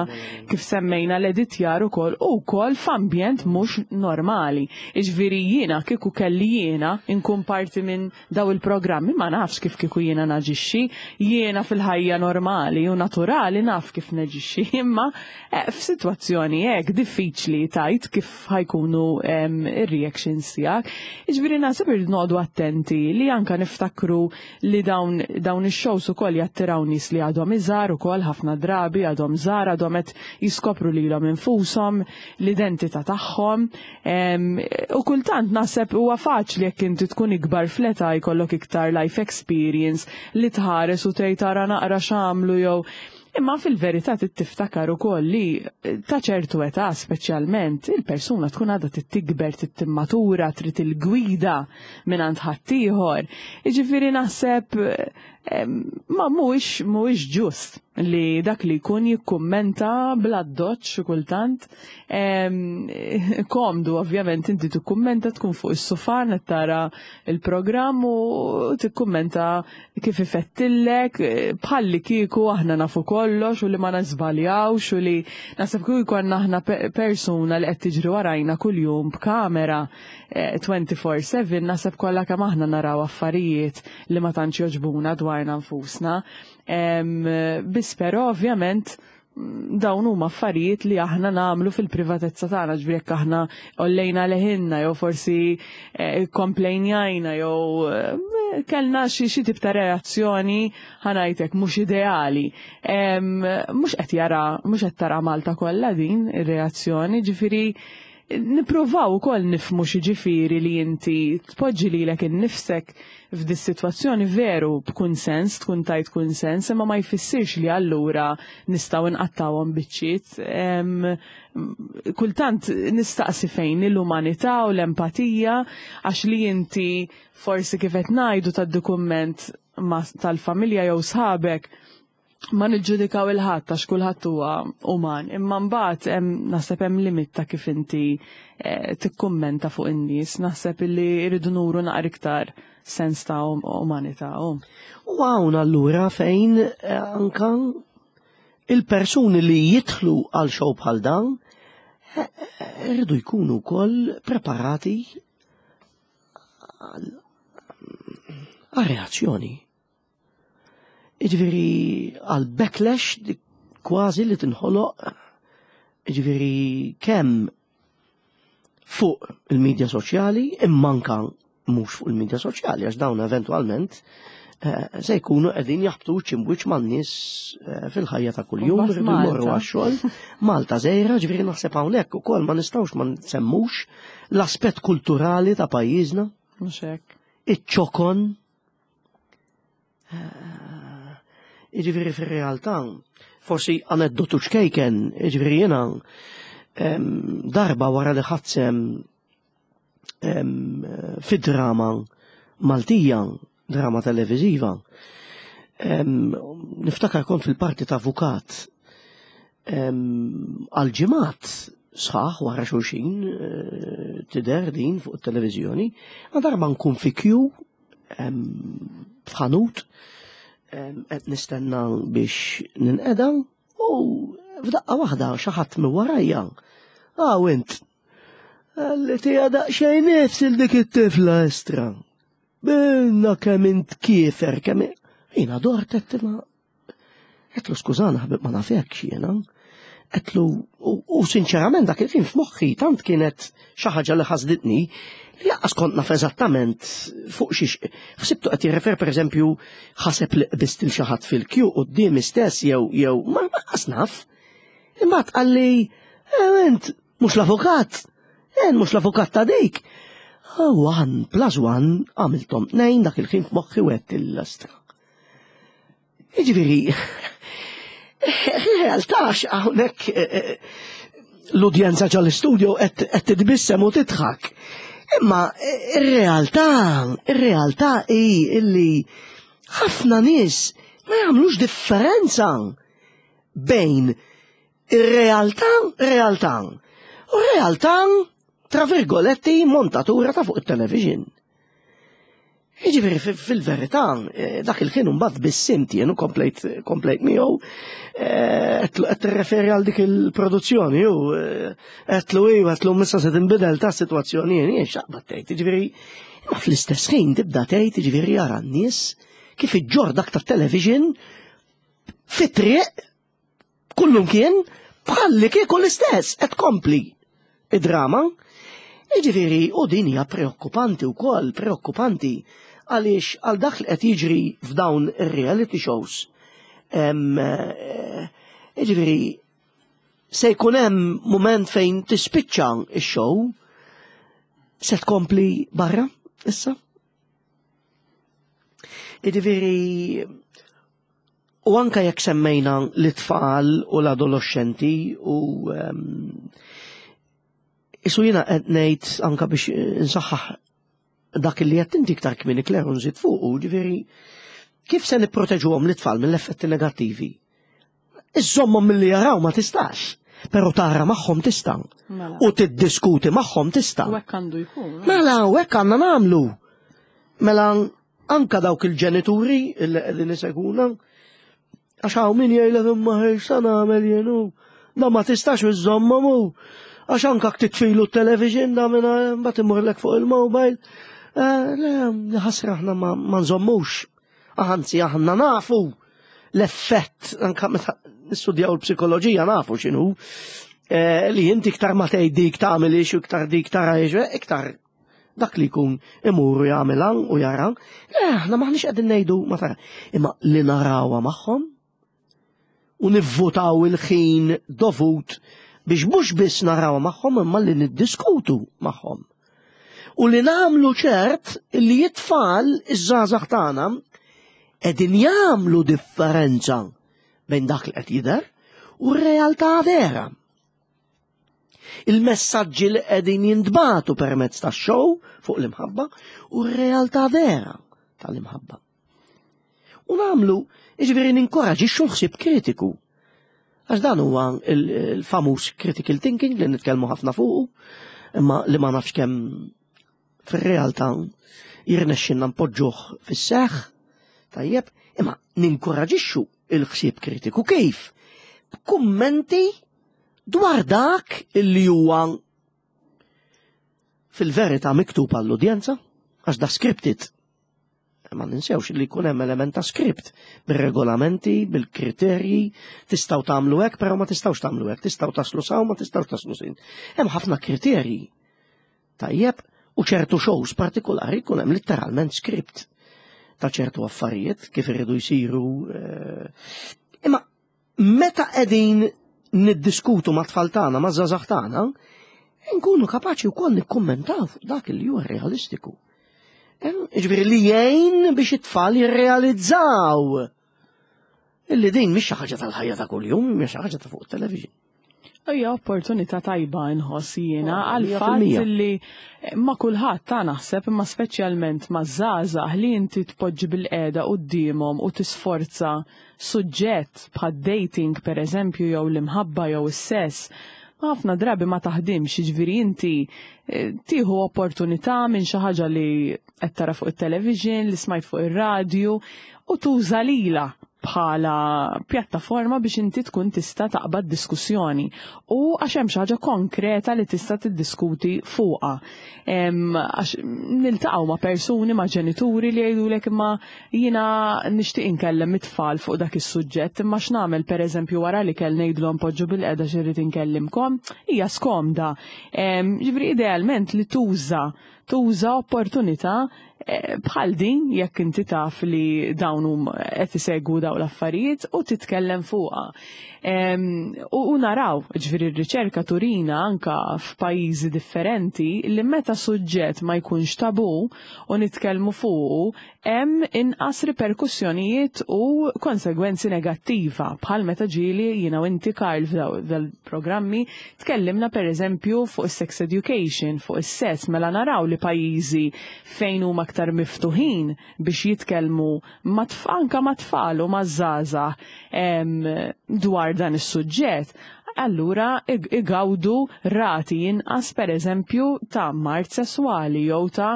kif semmejna l-editjar ukoll u wkoll f'ambjent mhux normali. Jiġifieri jiena kieku kelli jiena nkun parti minn daw il-programmi ma nafx kif kieku jiena naġixxi, jiena fil-ħajja normali u naturali naf kif naġixxi, imma eh, f'sitwazzjoni hekk diffiċli tajt kif ħajkunu ir-reactions tiegħek. Jiġifieri naħseb irid noqogħdu attenti li anka niftakru li dawn dawn ix-shows ukoll jattiraw nies li għadhom iżgħar ukoll ħafna drabi għadhom żgħar għadhom qed jiskopru lilhom infushom, l-identità tagħhom. U kultant naħseb huwa faċli jekk inti tkun ikbar fl-età jkollok iktar life experience li tħares u tgħid tara naqra x'għamlu jew Imma fil-verità trid tiftakar ukoll li ta' ċertu età speċjalment il-persuna tkun għadha trid tikber, trid timmatura, trid il-gwida mingħand ħaddieħor. Jiġifieri naħseb Ma mhuwiex mhuwiex ġust li dak li jkun jikkummenta bl-addoċċ xi kultant. Komdu ovvjament inti tikkummenta tkun fuq is-sufan qed tara l-programm u tikkummenta kif ifettillek bħalli kieku aħna nafu kollox u li ma niżbaljawx u li naħseb kieku jkollna aħna persuna li qed tiġri warajna kuljum b'kamera 24/7 naħseb kollha kemm aħna naraw affarijiet li ma tantx jogħġbuna dwarna nfusna. Biss però ovvjament dawn huma affarijiet li aħna nagħmlu fil-privatezza tagħna, ġifieri jekk aħna ollejna leħinna jew forsi eh, komplejnjajna jew eh, kellna xi xi tip ta' reazzjoni ħanajtek mhux ideali. Mhux qed jara, mhux qed tara Malta kollha din ir-reazzjoni, ġifieri. Nippruvaw ukoll nifhmu x'jiġifieri li inti tpoġġi lilek innifsek f'dis-sitwazzjoni veru b'kunsens, tkun tajt kunsens, imma ma jfissirx li allura nistgħu nqattgħuhom biċċiet. Kultant nistaqsi fejn l-umanità u l-empatija għax li inti forsi kif qed ngħidu tgħaddi kumment tal-familja jew sħabek ma niġġudikaw il-ħadd għax kulħadd huwa uman, imma mbagħad hemm naħseb hemm limit ta' kif inti eh, tikkummenta fuq in-nies, naħseb illi rridu nuru naqra iktar sens ta' um-, umanità. U hawn allura fejn eh, anka il-persuni li jidħlu għal xow bħal dan eh, rridu jkunu wkoll preparati għal reazzjoni. Jiġifieri għal backlash kważi li tinħoloq jiġifieri kemm fuq il-medja soċjali imma anka mhux fuq il-medja soċjali għax dawn eventwalment eh, se jkunu qegħdin jaħbtu ċimwiċ man-nies eh, fil-ħajja ta' kuljum, irridu jmorru għax-xogħol. Malta żejra, ġifieri naħseb hawnhekk ukoll ma nistgħux ma nsemmux l-aspett kulturali ta' pajjiżna. Mhux hekk. Iċ-ċokon Jiġifieri fir-realtà, forsi aneddotu ċkejken, jiġifieri jiena darba wara li ħadsem fi drama Maltija, drama televiżiva, niftakar kont fil-parti ta' avukat għal ġimgħat sħaħ wara xulxin eh, tidher din fuq it-televiżjoni, ma darba nkun fi kju f'ħanut qed nistenna biex ninqeda u f'daqqa waħda xi ħadd minn warajja. Ah int li tija daqsxejn nifs il dik it-tifla estra. Binna kemm int kiefer kemm jiena dort qed ma Għedtlu skużana ħabib ma nafekx jiena. Għedtlu u sinċerament dak il-ħin f'moħħi tant kienet xi ħaġa li ħasditni li jaqqas kont naf eżattament fuq xiex. Ħsibtu qed jirrefer pereżempju ħaseb li qbist il xi ħadd fil-kju quddiemi stess jew jew ma laqqas naf. Imbagħad qalli eh, int mhux l-avukat, eh, mhux l-avukat ta' dik. One plus one għamiltom tnejn dak il-ħin f'moħħi wet il-lastra. Jiġifieri, realtà hawnhekk eh, eh, l-udjenza ġal-istudio qed titbissem u tidħak. Imma eh, ir-realtà, ir-realtà hi illi ħafna nies ma jagħmlux differenza bejn ir-realtà realtà u realtà tra virgoletti montatura ta' fuq it-television. Jiġifieri fil-verità, eh, dak il-ħin mbagħad biss jien u komplejt komplejt miegħu eh, qed tirreferi għal dik il-produzzjoni u eh, qedlu iva qedlu missa se tinbidel ta' sitwazzjoni jien jien xaqbad tgħid, jiġifieri imma fl-istess ħin tibda tgħid jiġifieri jara n-nies kif iġġor dak tat-television fit-triq Kullum kien bħalli kieku l-istess qed kompli id-drama. Jiġifieri u din hija preokkupanti wkoll, preokkupanti għaliex għal dak li qed jiġri f'dawn ir-reality shows. Eh, jiġifieri se jkun hemm mument fejn tispiċċa x-show se tkompli barra issa. Jiġifieri U anka jekk semmejna l-itfal u l-adolescenti u ehm, isu jiena qed ngħid anka biex insaħħaħ dak li qed inti iktar kmieni Claire u nżid fuqu, ġifieri kif se nipproteġuhom l-itfal mill-effetti negattivi? Iżommhom milli jaraw ma tistax, però tara magħhom tista' mela. u tiddiskuti magħhom tista'. U hekk għandu jkun. Mela, u hekk għandna nagħmlu. Mela Anka dawk il-ġenituri li qegħdin iseguna, għax hawn min jgħidlek imma sa nagħmel jien hu. Da ma tistax iżżommhom hu. Għax anka titfilu t-television da minn mbagħad imurlek fuq il-mobile. Eh, le, ħasra aħna ma nżommux. Anzi aħna nafu l-effett anka meta nistudjaw il-psikoloġija nafu x'inhu. Eh, li inti iktar ma tgħid dik tagħmel ix u iktar dik tara ix, iktar Dak li jkun imur u jagħmilha u jara, le aħna maħniex qegħdin ngħidu ma tara. Imma li narawha magħhom u nivvutaw il-ħin dovut Biex mhux biss naraw magħhom imma li niddiskutu magħhom. U li nagħmlu ċert li it-tfal iż-żgħażagħ tagħna qegħdin jagħmlu differenza bejn dak li qed jidher u r-realtà vera. Il-messaġġi li qegħdin jintbagħtu permezz tax-show fuq l-imħabba u r-realtà vera tal-imħabba. U nagħmlu, jiġifieri ninkoraġixxu l-ħsieb kritiku. Għax dan huwa il-famuż critical thinking li nitkellmu ħafna fuqu, imma li ma nafx kemm fir-realtà jirnexxinna npoġġuh fis-seħħ, tajjeb, imma ninkoraġixxu il-ħsieb kritiku kif? B'kummenti dwar dak li huwa fil-verità miktub għall-udjenza, għax da scripted. Ma ninsewx li jkun hemm element ta' script bir-regolamenti, bil-kriterji, tistgħu tagħmlu hekk, però ma tistgħux tagħmlu hekk, tistgħu taslu saw, ma tistgħux taslu sin. Hemm ħafna kriterji. Tajjeb, u ċertu shows partikolari jkun hemm litteralment script ta' ċertu affarijiet kif iridu jsiru. Eh, imma meta qegħdin niddiskutu ma' tfal tagħna, ma' żgħażagħ tagħna, nkunu kapaċi wkoll nikkummentaw fuq dak li huwa realistiku. Eh, jiġifieri li jgħin biex it-tfal jirrealizzaw illi din mhix xi ħaġa tal-ħajja ta' kuljum, mhix xi ħaġa ta' fuq it-television. Hija opportunità tajba nħoss jiena oh, għal fatt li ma kulħadd ta' naħseb imma speċjalment ma' żgħażagħ li inti tpoġġi bil-qiegħda quddiemhom u tisforza suġġett bħad dating pereżempju jew l-imħabba jew is-sess ħafna drabi ma taħdimx, jiġifieri inti eh, tieħu opportunità minn xi ħaġa li qed tara fuq it-television, li smajt fuq ir-radju u tuża lila bħala pjattaforma biex inti tkun tista' taqbad diskussjoni u għax hemm xi ħaġa konkreta li tista' tiddiskuti fuqha. Għax niltaqgħu ma' persuni, ma' ġenituri li jgħidulek imma jiena nixtieq inkellem it-tfal fuq dak is-suġġett imma x'nagħmel pereżempju wara li kell ngħidlhom poġġu bil-qeda xi inkellimkom, hija skomda. Ġifieri idealment li tuża tuża opportunità eh, bħal din jekk inti taf li dawn hum qed isegwu dawn l-affarijiet u titkellem fuqha. U naraw, ġifieri r-riċerka turina anka f'pajjiżi differenti li meta suġġett ma jkunx tabu u nitkellmu fuqu hemm inqas riperkussjonijiet u konsegwenzi negattiva bħal meta ġieli jiena u inti Karl f'dal-programmi tkellimna pereżempju fuq is-sex education, fuq is-sess, mela naraw li pajjiżi fejn huma aktar miftuħin biex jitkellmu anka mat-tfal u maż-żgħażagħ dwar dan is-suġġett, allura igawdu rati inqas pereżempju ta' mard sesswali jew ta'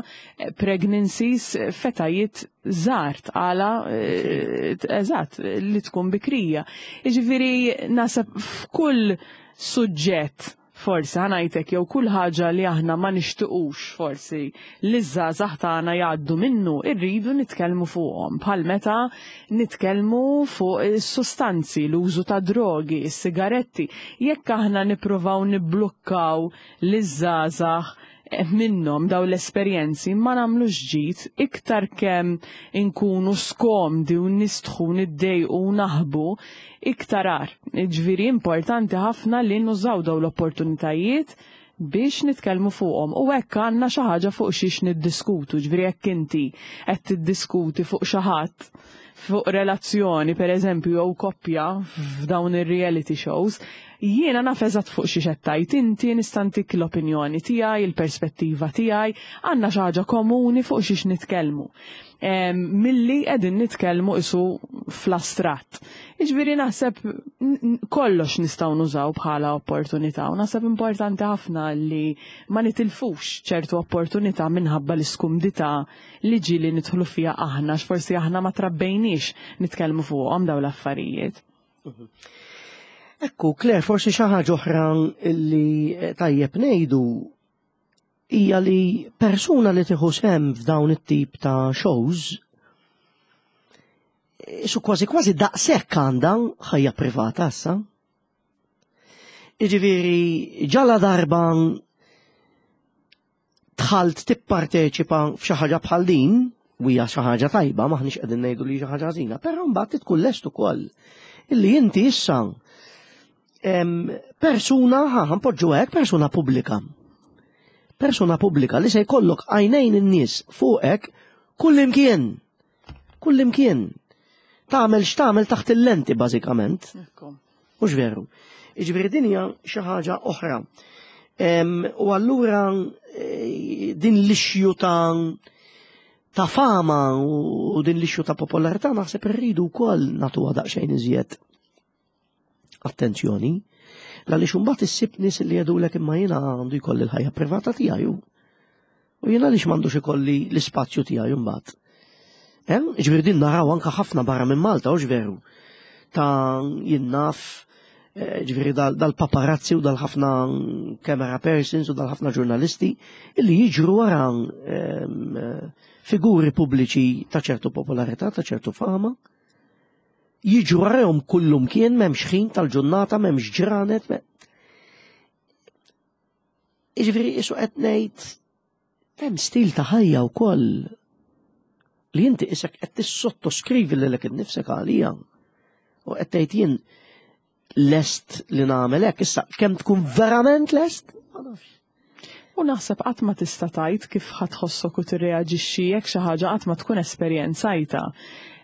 pregnancies f'etajiet żgħar tqala eh, eżatt li tkun bikrija. Jiġifieri naħseb f'kull suġġett forsi ħanajtek jew kull ħaġa li aħna ma nixtiqux forsi li ż-żgħażagħ tagħna jgħaddu minnu, irridu nitkellmu fuqhom. Bħal meta nitkellmu fuq is-sustanzi, l-użu ta' drogi, is-sigaretti. Jekk aħna nippruvaw nibblukkaw liż-żgħażagħ minnhom dawn l-esperjenzi ma nagħmlux ġid iktar kemm inkunu skomdi u nistħu niddejqu u naħbu iktar agħar. Ġifieri importanti ħafna li nużaw dawn l-opportunitajiet biex nitkellmu fuqhom u hekk għandna xi ħaġa fuq xiex niddiskutu, ġifieri jekk inti qed tiddiskuti fuq xi ħadd fuq relazzjoni pereżempju jew koppja f'dawn ir-reality shows, Jiena naf eżatt fuq xiex qed tgħid inti, nista' ntik l-opinjoni tiegħi, il-perspettiva tiegħi, għandna xi ħaġa komuni fuq xiex nitkellmu. Milli qegħdin nitkellmu isu fl-astratt. Jiġifieri naħseb kollox nistgħu nużaw bħala opportunità u naħseb importanti ħafna li ma nitilfux ċertu opportunità minħabba l-iskumdità li ġieli nidħlu fiha aħna, għax forsi aħna ma trabbejniex nitkellmu fuqhom dawn l-affarijiet. Ekku, Claire, forsi xi ħaġa oħra li eh, tajjeb ngħidu hija li persuna li tieħu sem f'dawn it-tip ta' shows eh, su kważi kważi daqshekk għandha ħajja privata issa. Jiġifieri ġala darba dħalt tipparteċipa f'xi ħaġa bħal din, u hija xi ħaġa tajba, maħniex qegħdin ngħidu li xi ħaġa ħażina, però mbagħad tkun lest ukoll illi inti issa Persuna, ħa npoġġu hekk, persuna pubblika. Persuna pubblika li se jkollok għajnejn in-nies fuqek kullimkien. Kullimkien. Tagħmel x'tagħmel taħt il-lenti bażikament. Mhux veru. Jiġifieri din hija xi ħaġa oħra. U allura eh, din l-ixju ta' ta' fama u din l-ixju ta' popolarità naħseb irridu wkoll nagħtuha daqsxejn iżjed attenzjoni. Għaliex imbagħad issib nies li jgħidulek imma jiena għandu jkolli l-ħajja privata tiegħi. U jiena għaliex m'għandux ikolli l-ispazju tiegħi mbagħad. Hemm, ġifieri din naraw anke ħafna barra minn Malta, hux veru. Ta' jien naf, eh, ġifieri dal-paparazzi u dal-ħafna camera persons u dal-ħafna ġurnalisti illi jiġru wara ehm, figuri pubbliċi ta' ċertu popolarità, ta' ċertu fama. Jiġru warahom kullumkien m'hemmx ħin tal-ġurnata, m'hemmx ġranet. Jiġifieri qisu qed ngħid hemm stil ta' ħajja wkoll li inti isek qed tissottoskrivi lilek innifsek għalija. U qed tgħid jien lest li nagħmel hekk issa kemm tkun verament lest? Ma nafx. U naħseb qatt ma tista' tgħid kif ħa tħossok u tirreaġixxi jekk xi ħaġa qatt ma tkun esperjenzajtha.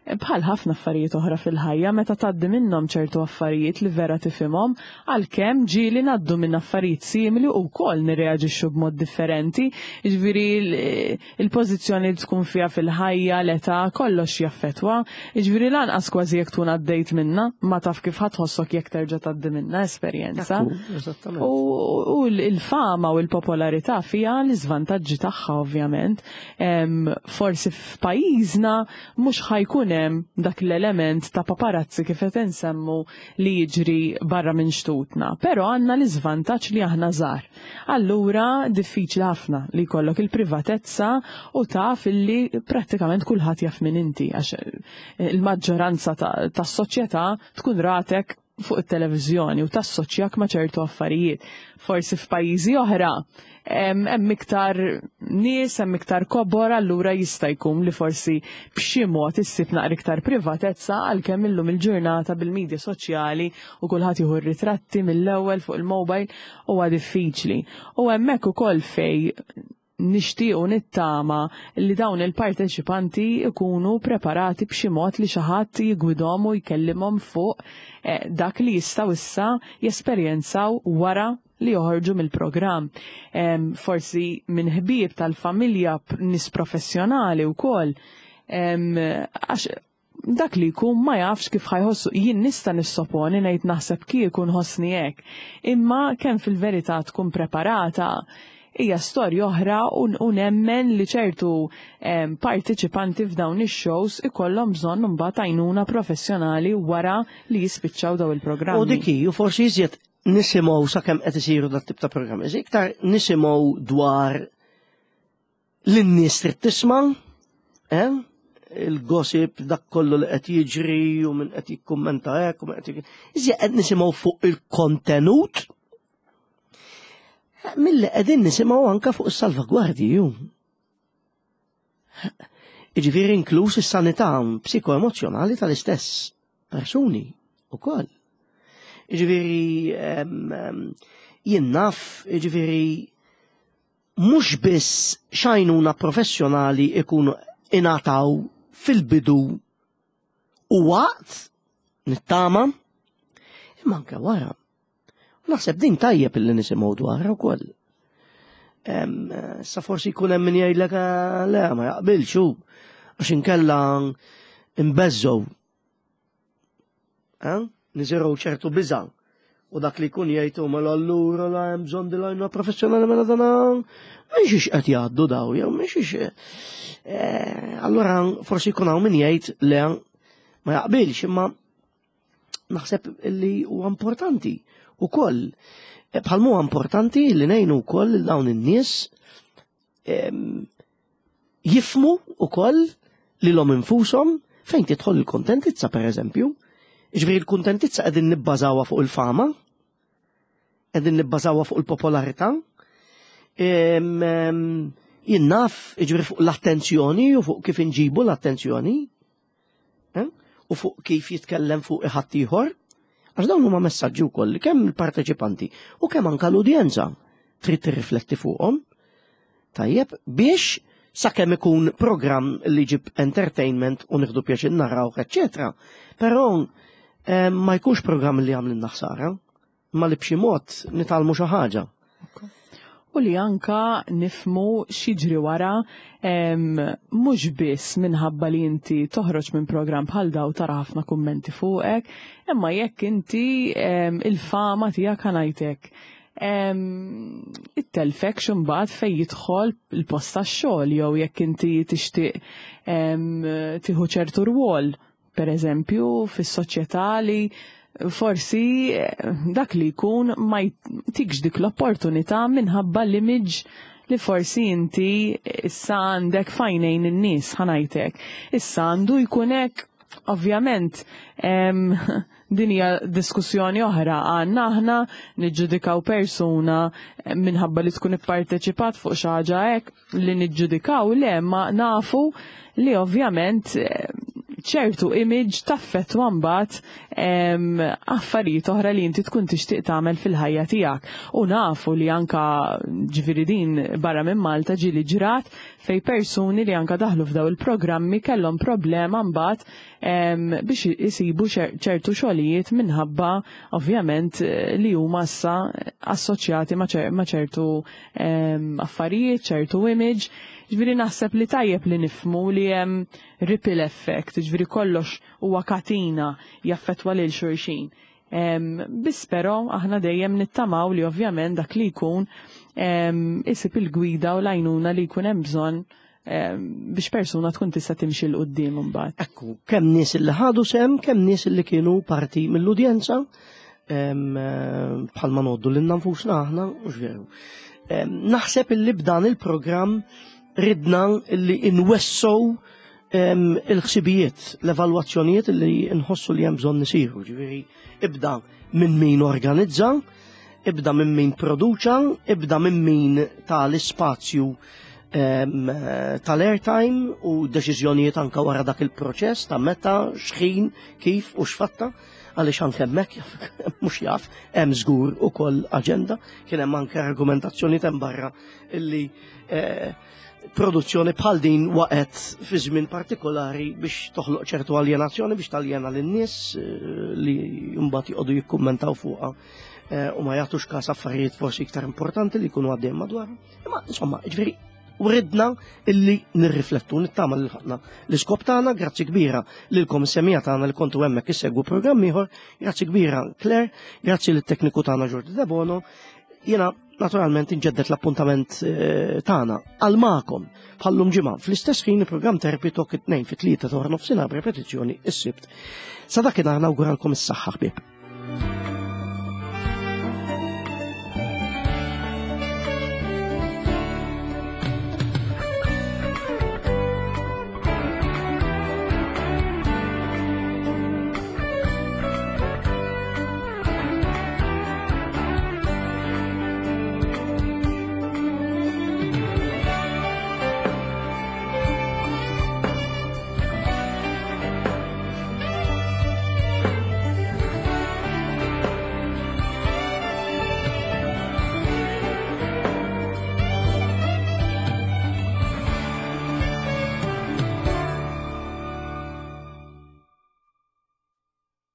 Bħal ħafna affarijiet oħra fil-ħajja, meta tgħaddi minnhom ċertu affarijiet li vera tifhimhom, għalkemm ġieli ngħaddu minn affarijiet simili u wkoll nirreaġixxu b'mod differenti, jiġifieri il-pożizzjoni li tkun fiha fil-ħajja, l-età, kollox jaffettwa. Jiġifieri lanqas kważi jekk tkun għaddejt minnha, ma taf kif ħa tħossok jekk terġa' tgħaddi minnha esperjenza. U l-fama u l-popolarità fiha l-iżvantaġġi tagħha ovvjament. Forsi f'pajjiżna mhux ħa jkun hemm dak l-element ta' paparazzi kif qed insemmu li jiġri barra minn xtutna. Però għandna l-iżvantaġġ li aħna żgħar. Allura diffiċli ħafna li jkollok il-privatezza u taf illi prattikament kulħadd jaf min inti għax il-maġġoranza tas-soċjetà tkun ratek fuq it-televiżjoni u tassoċjak ma' ċertu affarijiet. Forsi f'pajjiżi oħra hemm iktar nies, hemm iktar kobor, allura jista' jkun li forsi b'xi mod issib naqra iktar privatezza għalkemm illum il-ġurnata bil-medja soċjali u kulħadd jieħu r-ritratti mill-ewwel fuq il-mobile huwa diffiċli. U hemmhekk ukoll fej nixtieq u nittama li dawn il-parteċipanti jkunu preparati b'xi mod li xi ħadd jiggwidhom u jkellimhom fuq eh, dak li jistgħu issa jesperjenzaw wara li joħorġu mill-programm. Forsi minn ħbieb tal-familja, nies professjonali wkoll. Għax dak li jkun ma jafx kif ħa jħossu. Jien nista' nissoponi ngħid naħseb kieku nħossni hekk. Imma kemm fil-verità tkun preparata hija storja oħra u nemmen li ċertu partiċipanti f'dawn ix-shows ikollhom bżonn imbagħad għajnuna professjonali wara li jispiċċaw daw il-programmi. U dik hi, u forsi iżjed nisimgħu sakemm qed isiru dat tip ta' programmi, iktar nisimgħu dwar Lin-nies trid tisma', eh? il-gossip dak kollu li qed jiġri u min qed jikkummenta hekk u min qed Iżjed qed nisimgħu fuq il-kontenut milli qegħdin nisimgħu anke fuq is-salvagwardji ju. Jiġifieri inkluż is-sanità psikoemozzjonali tal-istess persuni ukoll. Jiġifieri jien naf, jiġifieri mhux biss x'għajnuna professjonali ikunu ingħataw fil-bidu u waqt nittama, imma anke wara. Naħseb din tajjeb illi nisimgħu dwarha wkoll. Sa forsi jkun hemm min jgħidlek eh, le ma jaqbilx hu għax inkella nbeżżgħu Eh? Niżirgħu ċertu biża' u dak li jkun jgħid mela allura la hemm bżonn di lajna professjonali mela dana minn xiex qed jgħaddu daw jew minn xiex. Eh, allura forsi jkun hawn min jgħid le ma jaqbilx imma naħseb li huwa importanti ukoll. Eh, bħal huwa importanti li ngħinu wkoll dawn in-nies jifmu ukoll lilhom infushom fejn tidħol il-kontentizza pereżempju. Ġifieri l-kuntentizza qegħdin nibbażawha fuq il-fama, qegħdin nibbażawha fuq il-popolarità, jien naf, ġifieri fuq l-attenzjoni u fuq kif inġibu l-attenzjoni, eh? u fuq kif jitkellem fuq ħaddieħor. Għax dawn huma messaġġi wkoll li kemm il-parteċipanti u kemm anke l-udjenza trid tirrifletti fuqhom. Tajjeb, biex sakemm ikun programm li jġib entertainment u nieħdu pjaċir narawh, eċċetera. Però eh, ma jkunx programm li għamlilna ħsara, ma li b'xi mod nitgħallmu xi ħaġa. U li anka nifmu x'jiġri wara mhux biss minħabba li inti toħroġ minn programm bħal daw tara ħafna kummenti fuqek, imma jekk inti il-fama tiegħek ħanajtek it-telfek x'imbagħad fejn jidħol il-post tax-xogħol jew jekk inti tixtieq tieħu ċertu rwol, per eżempju, fis-soċjetà li forsi eh, dak li jkun ma jtikx dik l-opportunità minħabba l-image li forsi inti issa għandek fajnejn in-nies ħanajtek. Issa għandu jkun hekk ovvjament din hija diskussjoni oħra għandna aħna niġġudikaw persuna minħabba li tkun ipparteċipat fuq xi ħaġa hekk li niġġudikaw le ma nafu li ovvjament eh, ċertu image taffettwa mbagħad affarijiet oħra li inti tkun tixtieq tagħmel fil-ħajja tiegħek. U nafu li anka ġifieri din barra minn Malta ġieli ġrat fej persuni li anka daħlu f'daw il-programmi kellhom problema mbagħad biex isibu ċertu xogħlijiet minħabba ovvjament eh, li huma issa assoċjati ma' ċertu affarijiet, ċertu image. Ġifieri naħseb li tajjeb li nifmu li hemm ripple effect, ġifieri kollox huwa katina jaffettwa lil xulxin. Biss però aħna dejjem nittamaw li ovvjament dak li jkun isib il-gwida u l-għajnuna li jkun hemm bżonn biex persuna tkun tista' timxi 'l quddiem imbagħad. Ekku, kemm nies li ħadu sem, kemm nies li kienu parti mill-udjenza, bħalma noddu lil nfusna aħna, mhux veru. Naħseb illi b'dan il-programm ridna illi inwessow il-ħsibijiet, l-evalwazzjonijiet li nħossu li hemm bżonn isiru, ġifieri ibda minn min organizza, ibda minn min produċa, ibda minn min tal-ispazju tal-airtime u deċiżjonijiet anka wara dak il-proċess ta' meta, xħin, kif u x'fatta, għaliex anke hemmhekk mhux jaf hemm żgur ukoll aġenda, kien hemm anke argumentazzjoni hemm barra illi eh, produzzjoni bħal din waqgħet fi żmien partikolari biex toħloq ċertu aljenazzjoni biex taljena lin-nies eh, li mbagħad joqogħdu jikkummentaw fuqha eh, u ma jagħtux każ affarijiet forsi iktar importanti li jkunu għaddejjem madwar. Imma insomma, ġifieri wridna illi nirriflettu nittama li ħadna l-iskop tagħna, grazzi kbira lilkom semija tagħna li kontu hemmhekk issegwu programm ieħor, grazzi kbira Claire, grazzi lit-tekniku tagħna Jordi Debono. Jiena naturalment inġeddet l-appuntament eh, tagħna għal magħkom bħallum ġimgħa fl-istess ħin il-programm Therapy Talk it-tnejn fit-tlieta ta' nofsinhar b'repetizzjoni is-Sibt. Sa dakinhar nawguralkom is-saħħa ħbieb.